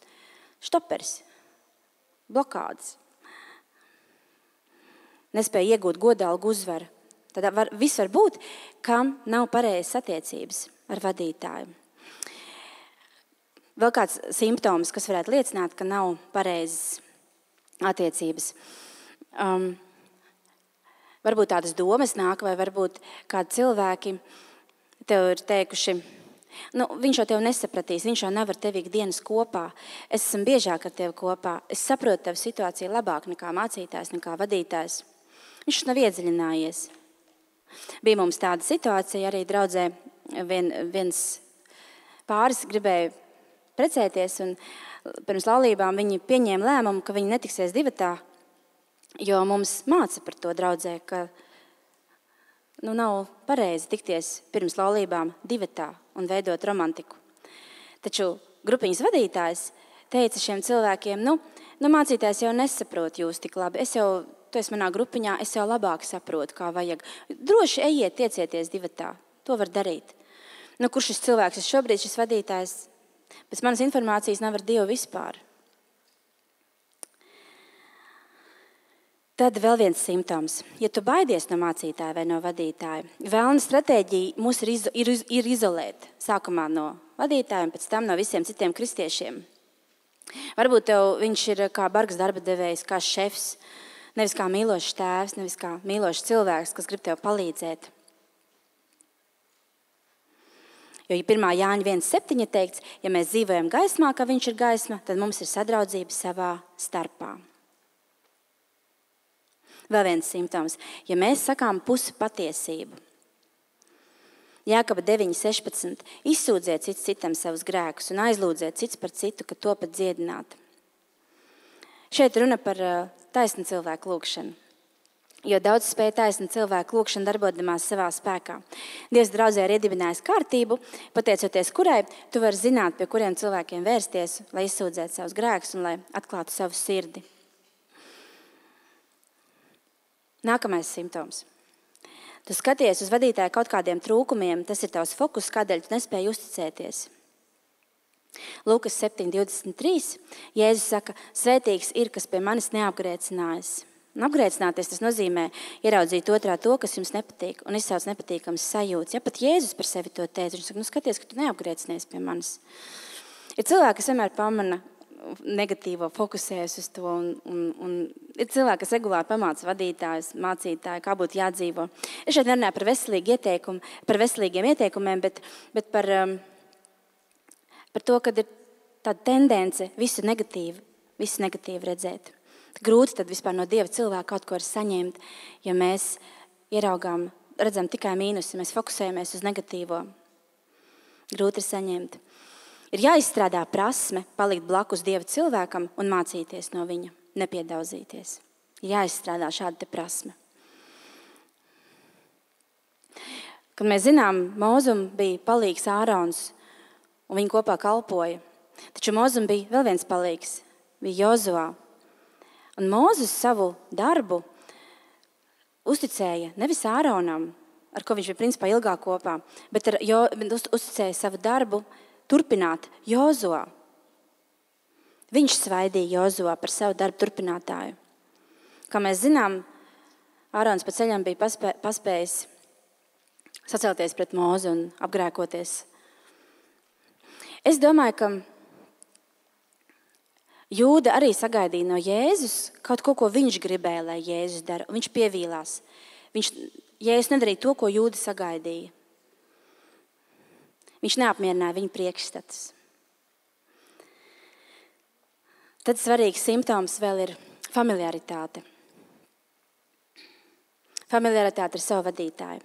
Speaker 1: štopers, blokādes. Nespēja iegūt godalgu uzvaru. Tad var, viss var būt, kam nav pareizas attiecības ar vadītāju. Vēl kāds simptoms, kas varētu liecināt, ka nav pareizas attiecības. Um, varbūt tādas domas nāk, vai varbūt kādi cilvēki tev ir teikuši, nu, viņš jau tev nesapratīs, viņš jau nevar tev ikdienas kopā. Es esmu biežāk ar tevi kopā, es saprotu tev situāciju labāk nekā mācītājs, nekā vadītājs. Viņš nav iedziļinājies. Bija mums tāda situācija, arī draudzē vien, viens pāris gribēja precēties, un pirms laulībām viņi pieņēma lēmumu, ka viņi netiksies divatā, jo mums māca par to draudzē, ka nu, nav pareizi tikties pirms laulībām divatā un veidot romantiku. Taču grupiņas vadītājs teica šiem cilvēkiem, nu, nu mācītājs jau nesaprot jūs tik labi, es jau, tu esi manā grupiņā, es jau labāk saprotu, kā vajag. Droši ejiet, tiecieties divatā, to var darīt. Nu, kurš šis cilvēks ir šobrīd, šis vadītājs? Pēc manas informācijas nav ar Dievu vispār. Tad vēl viens simptoms. Ja tu baidies no mācītāja vai no vadītāja, vēlna stratēģija mūs ir, izo, ir, ir izolēt. Sākumā no vadītāja un pēc tam no visiem citiem kristiešiem. Varbūt tev viņš ir kā bargs darba devējs, kā šefs, nevis kā mīlošs tēvs, nevis kā mīlošs cilvēks, kas grib tev palīdzēt. Jo, ja pirmā Jāņa viens septiņi teikts, ja mēs dzīvojam gaismā, kā viņš ir gaisma, tad mums ir sadraudzība savā starpā. Vēl viens simptoms. Ja mēs sakām pusi patiesību. Jākaba deviņi sešpadsmit. Izsūdziet cits citam savus grēkus un aizlūdziet cits par citu, ka to pat dziedināt. Šeit runa par taisnu cilvēku lūgšanu. Jo daudz spēja taisnu cilvēku lūgšanu darbodamās savā spēkā. Dievs draudzē ir iedibinājis kārtību, pateicoties kurai tu vari zināt, pie kuriem cilvēkiem vērsties, lai izsūdzētu savus grēkus un lai atklātu savu sirdi. Nākamais simptoms. Tu skaties uz vadītāju kaut kādiem trūkumiem, tas ir tavs fokus, kādēļ tu nespēji uzticēties. Lūkas septiņi divdesmit trīs. Jēzus saka, svētīgs ir, kas pie manis neapgrēcinājas. Un apgrēcināties tas nozīmē ieraudzīt otrā to, kas jums nepatīk, un izsauc nepatīkams sajūtas. Ja pat Jēzus par sevi to teica, viņš saka, nu skaties, ka tu neapgrēcinies pie manis. Ir cilvēki, kas vienmēr pamana negatīvo, fokusējas uz to, un, un, un ir cilvēki, kas regulāri pamāca vadītājus, mācītāju, kā būtu jādzīvo. Es šeit nerunāju par veselīgu ieteikumu, par veselīgiem ieteikumiem, bet, bet par, um, par to, kad ir tāda tendence visu negatīvu, visu negatīvu redzēt. Grūti tad vispār no Dieva cilvēka kaut ko var saņemt, ja mēs ieraugām, redzam tikai mīnusi, mēs fokusējamies uz negatīvo. Grūti ir saņemt. Ir jāizstrādā prasme palikt blakus Dieva cilvēkam un mācīties no viņa, nepiedauzīties. Ir jāizstrādā šāda te prasme. Kad mēs zinām, Mozum bija palīgs Ārons un viņi kopā kalpoja. Taču Mozum bija vēl viens palīgs, bija Jozuā. Un Mozus savu darbu uzticēja nevis Āronam, ar ko viņš bija principā ilgāk kopā, bet ar jo, uz, uzticēja savu darbu turpināt Jozuā. Viņš svaidīja Jozuā par savu darbu turpinātāju. Kā mēs zinām, Ārons pa ceļam bija paspē, paspējis sacelties pret Mozi un apgrēkoties. Es domāju, ka Jūda arī sagaidīja no Jēzus kaut ko, ko viņš gribēja, lai Jēzus dara. Viņš pievīlās. Viņš, Jēzus nedarīja to, ko Jūda sagaidīja. Viņš neapmierināja viņa priekšstatus. Tad svarīgs simptoms vēl ir familiaritāte. Familiaritāte ar savu vadītāju,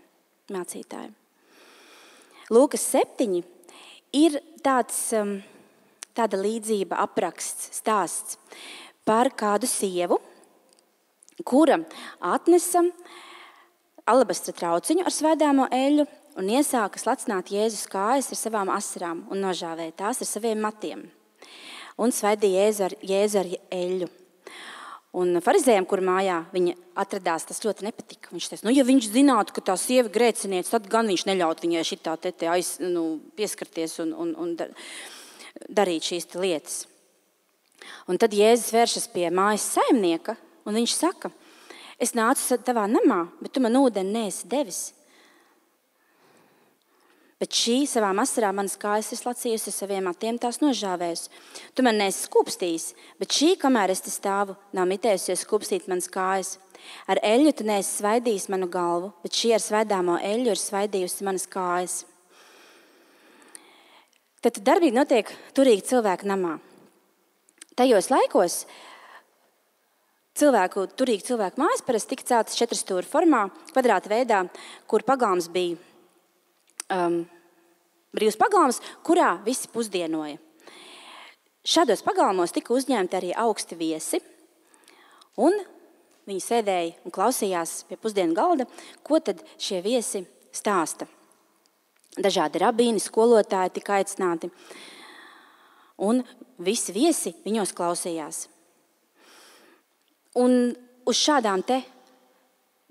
Speaker 1: mācītāju. Lūkas septiņi ir tāds, tāda līdzība, apraksts, stāsts par kādu sievu, kura atnesa alabastra trauciņu ar svēdāmo eļļu un iesāka slacināt Jēzus kājas ar savām asarām un nožāvēja tās ar saviem matiem. Un svaidīja Jēzu ar, Jēzu ar eļļu. Un farizējiem, kur mājā viņa atradās, tas ļoti nepatika. Viņš teica, nu, ja viņš zinātu, ka tā sieva grēcinieca, tad gan viņš neļaut viņai šitā te, te aiz, nu, pieskarties un, un, un darīt šīs lietas. Un tad Jēzus vēršas pie mājas saimnieka, un viņš saka, es nācu tavā namā, bet tu man ūdeni neesi devis. Bet šī savām asarām manas kājas ir slacījusi, saviem matiem tās nožāvējusi. Tu man neesi skūpstījis, bet šī, kamēr es te stāvu, nav mitējusies skūpstīt manas kājas. Ar eļļu tu neesi svaidījis manu galvu, bet šī ar svaidāmo eļļu ir svaidījusi manas kājas. Tad darbīgi notiek turīgi cilvēku namā. Tajos laikos cilvēku, turīgi cilvēku mājas parasti tika celtas četrstūra formā, kvadrāta veidā, kur pagalms bija Um, brīvs pagalms, kurā visi pusdienoja. Šādos pagalmos tika uzņemti arī augsti viesi, un viņi sēdēja un klausījās pie pusdienu galda, ko tad šie viesi stāsta. Dažādi rabīni, skolotāji tika aicināti, un visi viesi viņos klausījās. Un uz šādām te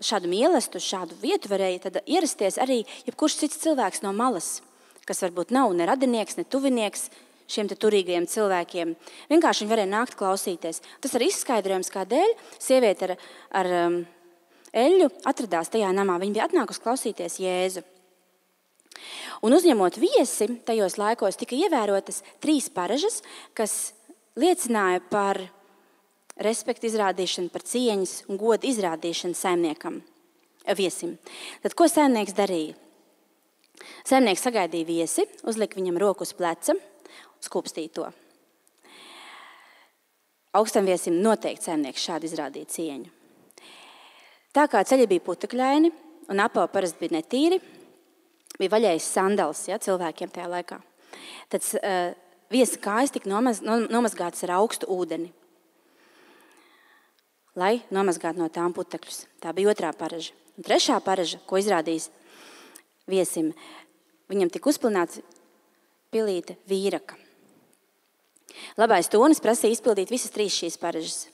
Speaker 1: šādu mielastu, šādu vietu varēja tad ierasties arī jebkurš cits cilvēks no malas, kas varbūt nav ne radinieks, ne tuvinieks šiem te turīgajiem cilvēkiem. Vienkārši viņi varēja nākt klausīties. Tas arī izskaidrojums, kādēļ sieviete ar, ar um, eļļu atradās tajā namā. Viņa bija atnākusi klausīties Jēzu. Un uzņemot viesi, tajos laikos tika ievērotas trīs paražas, kas liecināja par respektu izrādīšanu, par cieņas un godu izrādīšanu saimniekam, viesim. Tad ko saimnieks darīja? Saimnieks sagaidīja viesi, uzlika viņam roku uz pleca, skūpstīja to. Augstam viesim noteikti saimnieks šādi izrādīja cieņu. Tā kā ceļi bija putekļaini un apavi parasti bija netīri, bija vaļējis sandals, ja, cilvēkiem tajā laikā. Tad uh, viesa kājas tika nomaz, nomazgātas ar augstu ūdeni, lai nomazgātu no tām putekļus. Tā bija otrā paraža. Un trešā paraža, ko izrādījis viesim, viņam tika uzpilnāts pilīte vīraka. Labais tonis prasīja izpildīt visas trīs šīs paražas.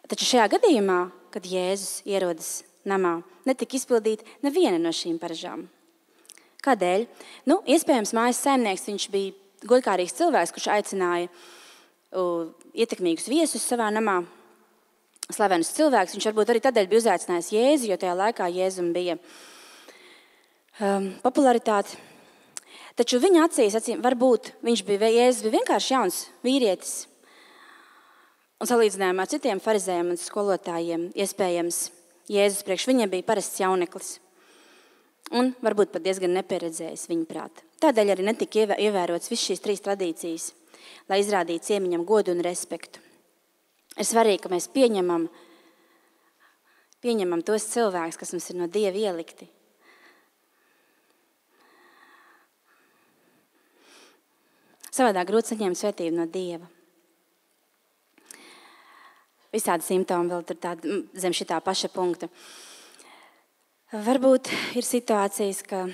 Speaker 1: Taču šajā gadījumā, kad Jēzus ierodas namā, netika izpildīt neviena no šīm paražām. Kādēļ? Nu, iespējams, mājas saimnieks, viņš bija godkārīgs cilvēks, kurš aicināja uh, ietekmīgus viesus savā namā, slavenus cilvēkus. Viņš varbūt arī tādēļ bija uzaicinājis Jēzu, jo tajā laikā Jēzum bija um, popularitāte. Taču viņa acīs, acīm, varbūt viņš bija, Jēzus bija vienkārši jauns vīrietis. Un salīdzinājumā ar citiem farizējiem un skolotājiem, iespējams, Jēzus priekš viņiem bija parasts jauneklis. Un varbūt pat diezgan nepieredzējis viņa prāta. Tādēļ arī netika ievērots viss šīs trīs tradīcijas, lai izrādītu ciemiņam godu un respektu. Ir svarīgi, ka mēs pieņemam, pieņemam tos cilvēkus, kas mums ir no Dieva ielikti. Savādāk grūti saņemt svētību no Dieva. Visādi simptomi vēl tur tādi zem šitā paša punkta. Varbūt ir situācijas, ka,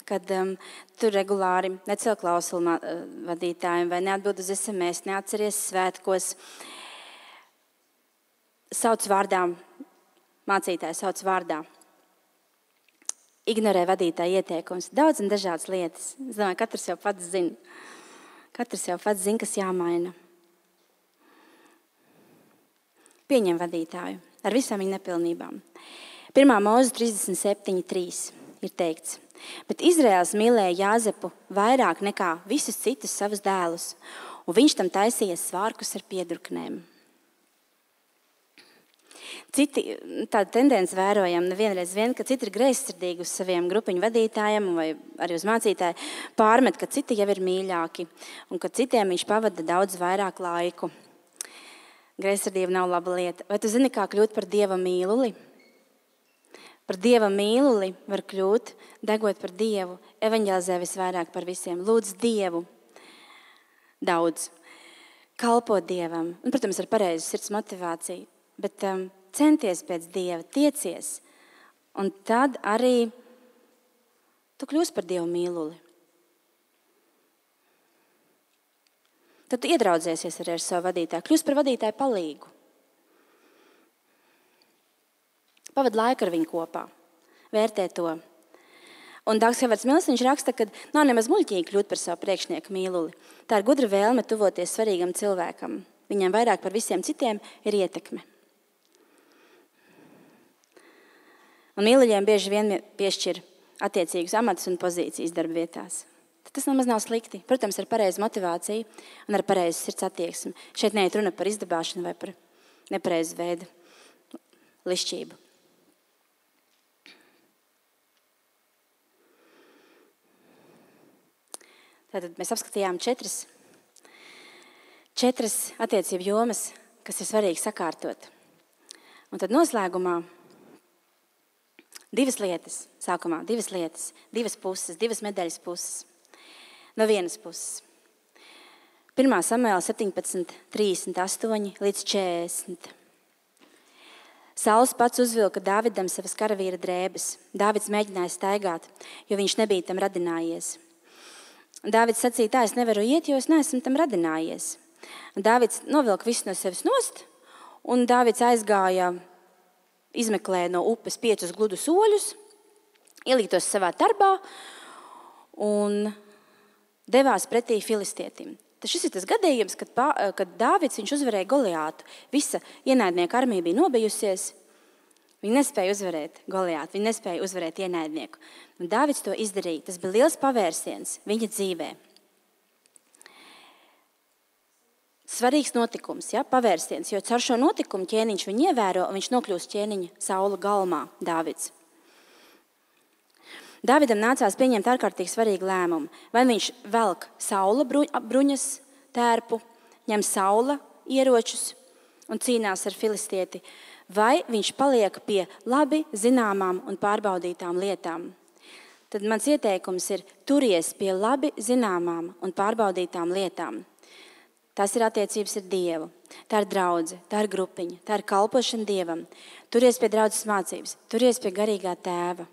Speaker 1: kad um, tur regulāri necel klausulu vadītājiem vai neatbild uz es em es, neatceries svētkos. Sauc vārdā, mācītāji sauc vārdā. ignorē vadītāja ieteikums. Daudz un dažādas lietas. Es domāju, katrs jau pats zina. Katrs jau pats zina, kas jāmaina. Pieņem vadītāju ar visām viņa nepilnībām. Pirmā Mūzu trīsdesmit septiņi trīs ir teikts: bet Izraēls mīlēja Jāzepu vairāk nekā visus citus savus dēlus, un viņš tam taisīja svārkus ar piedurknēm. Citi, tāda tendence vērojam nevienreiz vien, ka citi ir greizsirdīgi uz saviem grupiņu vadītājiem vai arī uz mācītāju, pārmet, ka citi jau ir mīļāki un ka citiem viņš pavada daudz vairāk laiku. Greizsirdība nav laba lieta. Vai tu zini, kā kļūt par Dieva mīluli? Par Dieva mīluli var kļūt, degot par Dievu, evaņģelizē visvairāk par visiem. Lūdz Dievu daudz, kalpo Dievam. Un, protams, ar pareizu sirds motivāciju, bet um, centies pēc Dieva, tiecies. Un tad arī tu kļūsi par Dieva mīluli. Tad tu iedraudzēsies arī ar savu vadītāju, kļūsi par vadītāju palīgu. Pavad laiku ar viņu kopā, vērtē to. Un Dāgs Hevards Mills, viņš raksta, ka nav nemaz muļķīgi kļūt par savu priekšnieku mīluli. Tā ir gudra vēlme tuvoties svarīgam cilvēkam. Viņam vairāk par visiem citiem ir ietekme. Un mīluļiem bieži vien piešķir attiecīgus amatus un pozīcijas darba vietās. Tas nemaz nav slikti. Protams, ar pareizu motivāciju un ar pareizu sirds attieksmi. Šeit neiet runa par izdabāšanu vai par nepareizu veidu lišķību. Tātad mēs apskatījām četras, četras attiecību jomas, kas ir svarīgi sakārtot. Un tad noslēgumā divas lietas, sākumā divas lietas, divas puses, divas medaļas puses. No vienas puses. pirmā Samuēla septiņpadsmit, trīsdesmit astoņi līdz četrdesmit. Sauls pats uzvilka Dāvidam savas karavīra drēbes. Dāvids mēģināja staigāt, jo viņš nebija tam radinājies. Dāvids sacīja, tā es nevaru iet, jo es neesmu tam radinājies. Dāvids novilka visu no sevis nost, un Dāvids aizgāja, izmeklēja no upes piecus gludus oļus, ielītos savā tarbā un devās pretī filistietim. Tas šis ir tas gadījums, kad, kad Dāvids viņš uzvarēja Goliātu. Visa ienaidnieka armija bija nobijusies. Viņi nespēja uzvarēt Goliātu, viņi nespēja uzvarēt ienaidnieku. Un Dāvids to izdarīja. Tas bija liels pavērsiens viņa dzīvē. Svarīgs notikums, ja, pavērsiens, jo caur šo notikumu ķēniņš viņu ievēro un viņš nokļūst ķēniņa Saula galmā, Dāvids. Dāvidam nācās pieņemt ārkārtīgi svarīgu lēmumu. Vai viņš velk Saula bruņas tērpu, ņem Saula ieročus un cīnās ar filistieti, vai viņš paliek pie labi zināmām un pārbaudītām lietām. Tad mans ieteikums ir turies pie labi zināmām un pārbaudītām lietām. Tas ir attiecības ar Dievu, tā ir draudze, tā ir grupiņa, tā ir kalpošana Dievam. Turies pie draudzes mācības, turies pie garīgā tēva.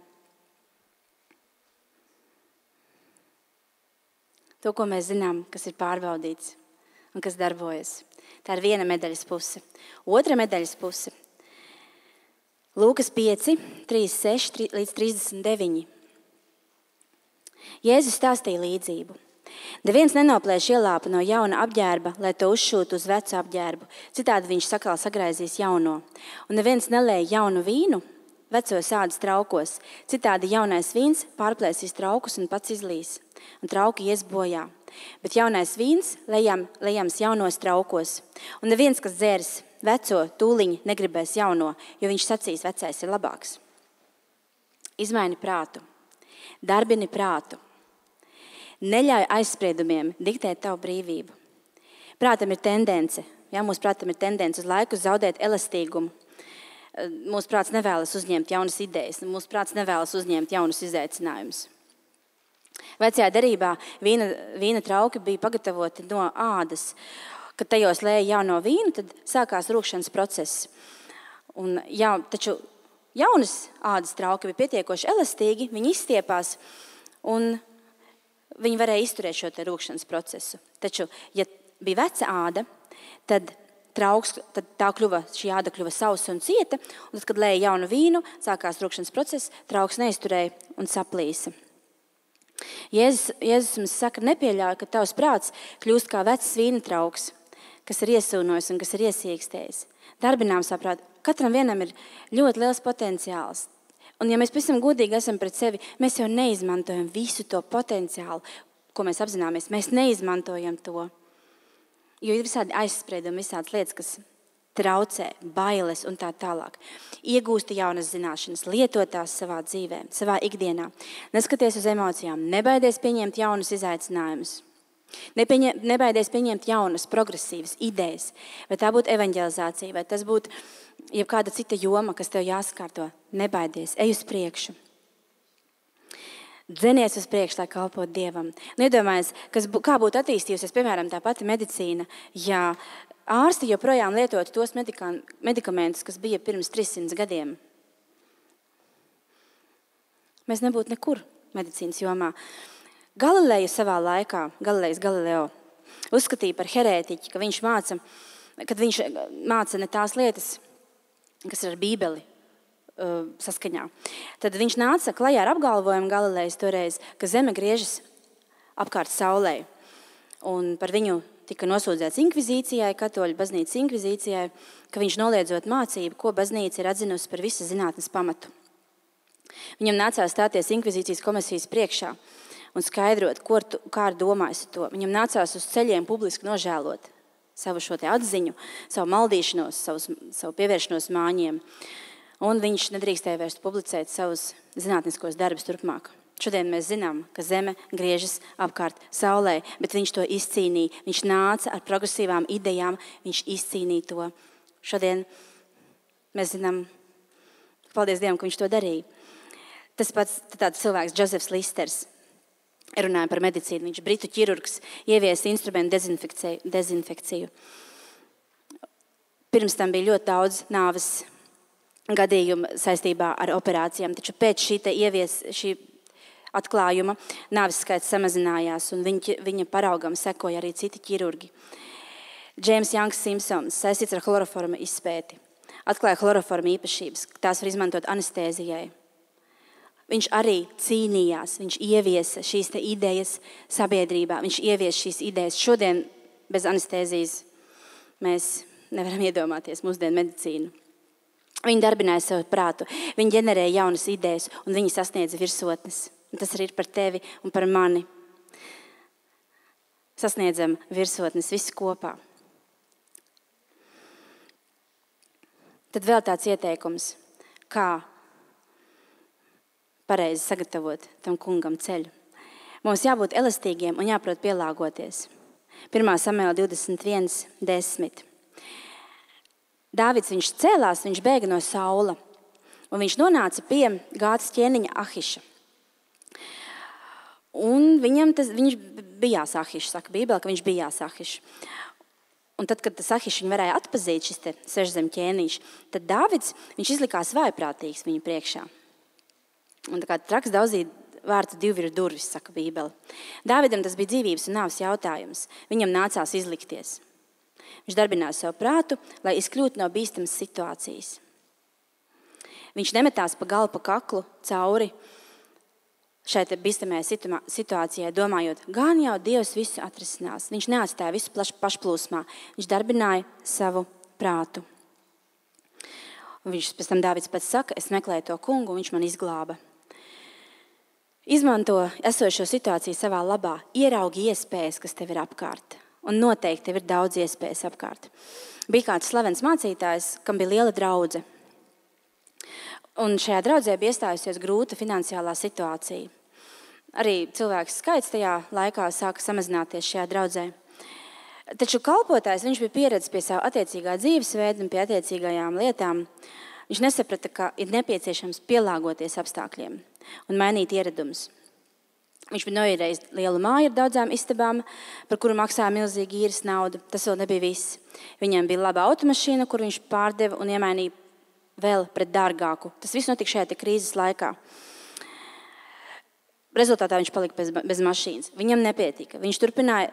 Speaker 1: To, ko mēs zinām, kas ir pārbaudīts un kas darbojas. Tā ir viena medaļas puse. Otra medaļas puse. Lūkas pieci, trīsdesmit seši līdz trīsdesmit deviņi. Jēzus stāstīja līdzību. Neviens nenoplēš ielāpu no jauna apģērba, lai to uzšūtu uz vecu apģērbu. Citādi viņš sakal sagraizīs jauno. Un neviens nelēja jaunu vīnu vecos ādas traukos. Citādi jaunais vīns pārplēsīs traukus un pats izlīs. Un trauki ies bojā. Bet jaunais vīns lejam, lejams jaunos traukos. Un neviens, kas dzērs veco, tūliņi negribēs jauno, jo viņš sacīs, vecais ir labāks. Izmaini prātu. Darbini prātu. Neļauj aizspriedumiem diktēt tavu brīvību. Prātam ir tendence, ja, mūsu prātam ir tendence uz laiku zaudēt elastīgumu. Mūsu prāts nevēlas uzņemt jaunas idejas, mūsu prāts nevēlas uzņemt jaunus izaicinājumus. Vecajā derībā vīna, vīna trauki bija pagatavoti no ādas. Kad tajos lēja jauno vīnu, tad sākās rūkšanas process. Un, jā, taču jaunas ādas trauki bija pietiekoši elastīgi, viņi izstiepās un viņi varēja izturēt šo te rūkšanas procesu. Taču, ja bija veca āda, tad trauks, tad tā kļuva, šī āda kļuva sausa un cieta, un tad, kad lēja jaunu vīnu, sākās rūkšanas process, trauks neizturēja un saplīsa. Jēzus, Jēzus mums saka, nepieļauj, ka tavs prāts kļūst kā vecs vīna trauks, kas ir iesūnojis un kas ir iesīkstējis. Darbinām saprāt, katram vienam ir ļoti liels potenciāls. Un ja mēs pavisam godīgi esam pret sevi, mēs jau neizmantojam visu to potenciālu, ko mēs apzināmies. Mēs neizmantojam to. Jo ir visādi aizspriedumi, visādas lietas, kas traucē, bailes un tā tālāk. Iegūsti jaunas zināšanas, lietotās savā dzīvē, savā ikdienā. Neskaties uz emocijām, nebaidies pieņemt jaunus izaicinājumus. Nepieņem, nebaidies pieņemt jaunas, progresīvas idejas. Vai tā būtu evanģelizācija, vai tas būtu jebkāda cita joma, kas tev jāsakārto. Nebaidies, ej uz priekšu. Dzenies uz priekšu, lai kalpotu Dievam. Nedomājies, kas, kā būtu attīstījusies, piemēram, tā pati medicīna, ja ārsti joprojām lietotu tos medika, medikamentus, kas bija pirms trīssimts gadiem. Mēs nebūtu nekur medicīnas jomā. Galileju savā laikā, Galilejs Galileo, uzskatīja par herētiķi, ka viņš māca, kad viņš māca ne tās lietas, kas ir ar Bībeli uh, saskaņā. Tad viņš nāca klajā ar apgalvojumu Galilejs toreiz, ka zeme griežas apkārt saulei. Un par viņu tika nosūdzēts inkvizīcijai, katoļu baznīcas inkvizīcijai, ka viņš noliedzot mācību, ko baznīca ir atzinusi par visas zinātnes pamatu. Viņam nācās stāties inkvizīcijas komisijas priekšā un skaidrot, ko, kā ir domājis to. Viņam nācās uz ceļiem publiski nožēlot savu šo te atziņu, savu maldīšanos, savu, savu pievēršanos māņiem. Un viņš nedrīkstēja vairs publicēt savus zinātniskos darbus turpmāk. Šodien mēs zinām, ka zeme griežas apkārt saulē, bet viņš to izcīnīja. Viņš nāca ar progresīvām idejām, viņš izcīnīja to. Šodien mēs zinām, paldies Dievam, ka viņš to darīja. Tas pats tāds cilvēks, Džozefs Listers, runāja par medicīnu. Viņš britu ķirurgs, ieviesa instrumentu dezinfekciju, dezinfekciju. Pirms tam bija ļoti daudz nāves gadījumu saistībā ar operācijām, taču pēc šī, te ievies, šī atklājuma nāves skaits samazinājās un viņa, viņa paraugam sekoja arī citi ķirurgi. Džeims Janks Simpsons saistīts ar chloroforma izpēti. Atklāja chloroforma īpašības, tās var izmantot anestēzijai. Viņš arī cīnījās, viņš ieviesa šīs te idejas sabiedrībā, viņš ieviesa šīs idejas. Šodien bez anestēzijas mēs nevaram iedomāties mūsdienu medicīnu. Viņi darbināja savu prātu, viņi ģenerēja jaunas idejas un viņi sasniedza virsotnes. Un tas arī ir par tevi un par mani. Sasniedzam virsotnes visi kopā. Tad vēl tāds ieteikums, kā pareizi sagatavot tam kungam ceļu. Mums jābūt elastīgiem un jāprot pielāgoties. pirmā Samuēla divdesmit viens desmit. Dāvids viņš cēlās, viņš bēga no Saula, un viņš nonāca pie Gātas ķēniņa Ahiša. Un viņam tas, viņš bijās Ahišs, saka Bībele, ka viņš bijās Ahišs. Un tad, kad tas Ahišs viņu varēja atpazīt, šis te sešzem ķēniņš, tad Dāvids, viņš izlikās vājprātīgs viņu priekšā. Un tā kā traks daudzīt vārtu divi ir durvis, saka Bībele. Dāvidam tas bija dzīvības un nāves jautājums. Viņam nācās izlikties. Viņš darbināja savu prātu, lai izkļūtu no bīstamas situācijas. Viņš nemetās pa galu, pa kaklu, cauri šai te bīstamajai situācijai, domājot, gan jau Dievs visu atrisinās. Viņš neatstāja visu pašplūsmā. Viņš darbināja savu prātu. Un viņš pēc tam Dāvids pats saka, es meklēju to kungu, un viņš man izglāba. Izmanto esošo situāciju savā labā, ieraugi iespējas, kas tev ir apkārt. Un noteikti tev ir daudz iespējas apkārt. Bija kāds slavens mācītājs, kam bija liela draudze. Un šajā draudzē bija iestājusies grūta finansiālā situācija. Arī cilvēks skaits tajā laikā sāka samazināties šajā draudzē. Taču kalpotājs, viņš bija pieredzis pie savu attiecīgā dzīvesveida un pie attiecīgajām lietām. Viņš nesaprata, ka ir nepieciešams pielāgoties apstākļiem un mainīt ieradumus. Viņš bija noīrējis lielu māju ar daudzām istabām, par kuru maksāja milzīgi īres naudu. Tas vēl nebija viss. Viņam bija laba automašīna, kur viņš pārdeva un iemainīja vēl pret dārgāku. Tas viss notika šajā te krīzes laikā. Rezultātā viņš palika bez, bez mašīnas. Viņam nepietika. Viņš turpināja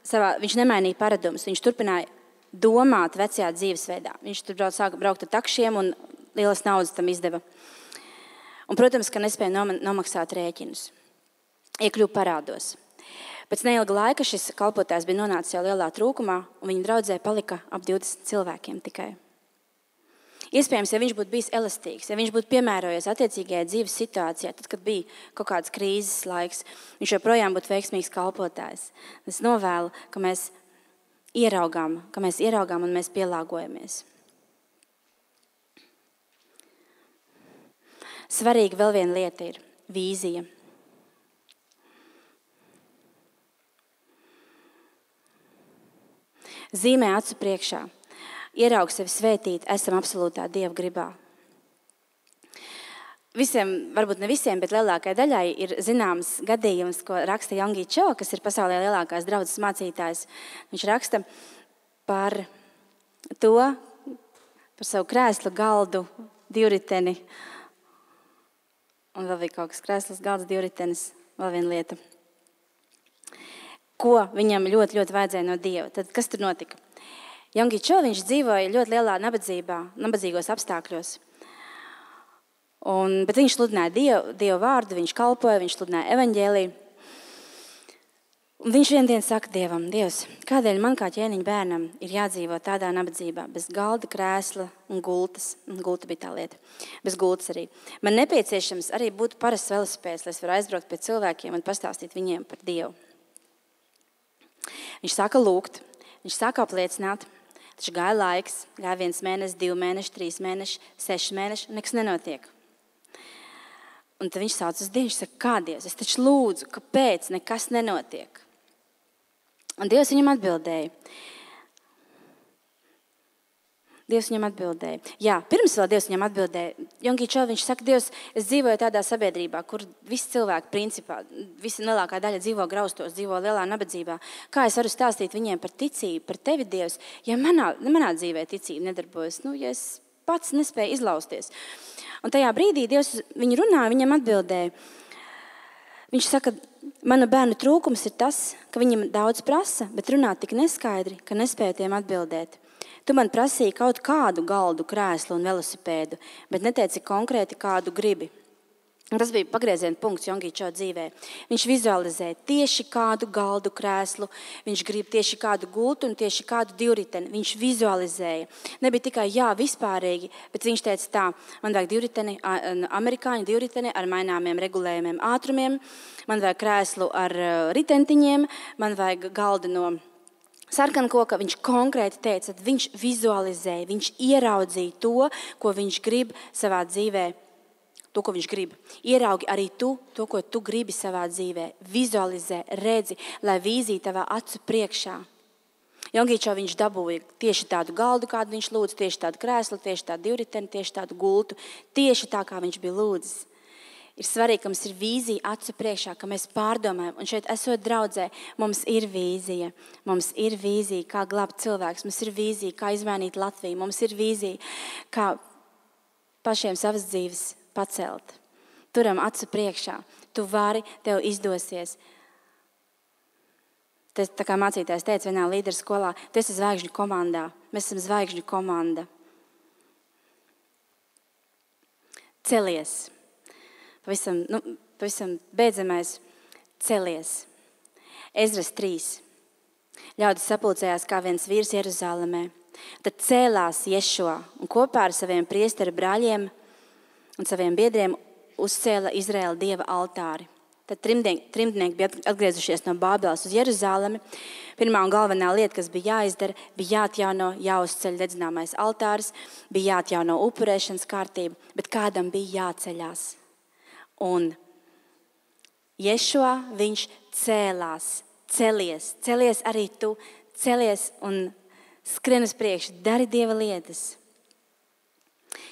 Speaker 1: savā, viņš nemainīja paradumus. Viņš turpināja domāt vecajā dzīvesveidā. Viņš tur brauc, sāka braukt ar takšiem un lielas naudas tam izdeva. Un, protams, ka nespēja nomaksāt rēķinus. Iekļuva parādos. Pēc neilga laika šis kalpotājs bija nonācis jau lielā trūkumā, un viņa draudzē palika ap divdesmit cilvēkiem tikai. Iespējams, ja viņš būtu bijis elastīgs, ja viņš būtu piemērojies attiecīgajai dzīves situācijā, tad, kad bija kaut kāds krīzes laiks, viņš joprojām būtu veiksmīgs kalpotājs. Es novēlu, ka mēs ieraugām, ka mēs ieraugām un mēs pielāgojamies. Svarīga vēl viena lieta ir vīzija. Zīmē acu priekšā. Ieraug sevi svētīt, esam absolūtā Dieva gribā. Visiem, varbūt ne visiem, bet lielākajai daļai ir zināms gadījums, ko raksta Yonggi Cho, kas ir pasaulē lielākās draudzes mācītājs. Viņš raksta par to, par savu krēslu, galdu, divriteni. Un vēl bija kaut kas krēsls, galds, divritenis, vēl viena lieta. Ko viņam ļoti, ļoti vajadzēja no Dieva. Tad kas tur notika? Yonggi Cho, viņš dzīvoja ļoti lielā nabadzībā, nabadzīgos apstākļos. Un, bet viņš sludināja Dievu, Dievu vārdu, viņš kalpoja, viņš sludināja evaņģēliju. Un viņš vienu dienu saka Dievam, Dievs, kādēļ man kā ķēniņa bērnam ir jādzīvo tādā nabadzībā, bez galda, krēsla un gultas. Un gulta bija tā lieta. Bez gultas arī. Man nepieciešams arī būt parasts velosipēds, lai es varu aizbraukt pie cilvēkiem un pastāstīt viņiem par Dievu. Viņš sāka lūgt, viņš sāka apliecināt, taču gāja laiks, gāja viens mēnesis, divi mēneši, trīs mēneši, seši mēneši, un nekas nenotiek. Un tad viņš sauc uz Dievu, viņš saka, kā Dievs, es taču lūdzu, kāpēc nekas nenotiek? Un Dievs viņam atbildēja. Dievs viņam atbildēja. Jā, pirms vēl Dievs viņam atbildēja. Yonggi Cho, viņš saka, Dievs, es dzīvoju tādā sabiedrībā, kur visi cilvēki principā, visa lielākā daļa dzīvo graustos, dzīvo lielā nabadzībā. Kā es varu stāstīt viņiem par ticību, par tevi, Dievs, ja manā, manā dzīvē ticība nedarbojas, nu, ja es pats nespēju izlausties. Un tajā brīdī Dievs viņu runāja, viņam atbildēja. Viņš saka, mana bērnu trūkums ir tas, ka viņam daudz prasa, bet runā tik neskaidri, ka nespēja tiem atbildēt. Tu man prasīji kaut kādu galdu, krēslu un velosipēdu, bet neteici konkrēti, kādu gribi. Un tas bija pagrieziena punkts Yonggi Cho dzīvē. Viņš vizualizē tieši kādu galdu, krēslu, viņš grib tieši kādu gultu un tieši kādu divriteni. Viņš vizualizēja. Nebija tikai jā, vispārīgi, bet viņš teica tā, man vajag divriteni, amerikāņu divriteni ar maināmiem regulējumiem ātrumiem, man vajag krēslu ar ritentiņiem, man vajag galdu no sarkankoka. Viņš konkrēti teica, viņš vizualizēja, viņš ieraudzīja to, ko viņš grib savā dzīvē, to, ko viņš grib. Ieraugi arī tu, to, ko tu gribi savā dzīvē. Vizualizē, redzi, lai vīzija tavā acu priekšā. Yonggi Cho viņš dabūja tieši tādu galdu, kādu viņš lūdza, tieši tādu krēslu, tieši tādu divriteni, tieši tādu gultu, tieši tā, kā viņš bija lūdzis. Ir svarīgi, ka mums ir vīzija acu priekšā, ka mēs pārdomājam. Un šeit, esot draudzē, mums ir vīzija. Mums ir vīzija, kā glābt cilvēks. Mums ir vīzija, kā izmainīt Latviju. Mums ir vīzija, kā pašiem savas dzīves pacelt. Turam acu priekšā. Tu vari, tev izdosies. Tas, tā kā mācītājs teica vienā līderu skolā, tu esi zvaigžņu komandā. Mēs esam zvaigžņu komanda. Celies. Pavisam, nu, pavisam beidzamais celies. Ezras trīs. Ļaudis sapulcējās kā viens vīrs Jeruzālēmē. Tad cēlās Ješua un kopā ar saviem priesteru brāļiem un saviem biedriem uzcēla Izraēla Dieva altāri. Tad trimdnieki, trimdnieki bija atgriezušies no Bābeles uz Jeruzālemi. Pirmā un galvenā lieta, kas bija jāizdara, bija jāatjauno, jāuzceļ dedzināmais altāris, bija jāatjauno upurēšanas kārtība, bet kādam bija jāceļās. Un Ješua, viņš cēlās, celies, celies arī tu, celies un skrien uz priekšu, dari Dieva lietas.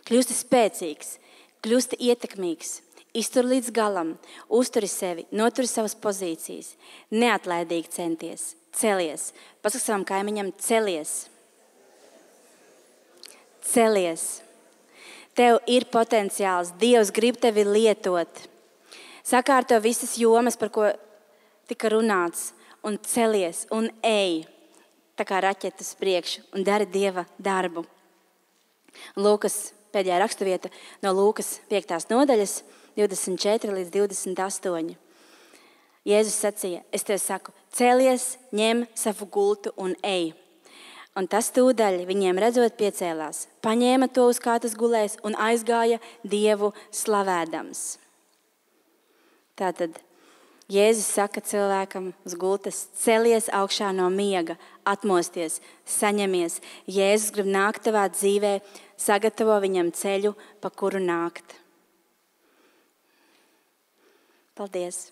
Speaker 1: Kļūsti spēcīgs, kļūsti ietekmīgs, iztur līdz galam, uzturi sevi, noturi savas pozīcijas, neatlaidīgi centies, celies. Pasaka savam kaimiņam, celies. Celies. Tev ir potenciāls, Dievs grib tevi lietot. Sakārto visas jomas, par ko tika runāts, un celies un ej. tā kā raķete uz priekšu un dari Dieva darbu. Lūkas pēdējā raksturvieta no Lūkas piektās nodaļas, divdesmit četri līdz divdesmit astoņi. Jēzus sacīja, es tev saku, cēlies, ņem savu gultu un ej. Un tas tūdaļ viņiem redzot piecēlās, paņēma to, uz kā tas gulēs, un aizgāja Dievu slavēdams. Tātad Jēzus saka cilvēkam uz gultas, celies augšā no miega, atmosties, saņemies. Jēzus grib nākt tavā dzīvē, sagatavo viņam ceļu, pa kuru nākt. Paldies!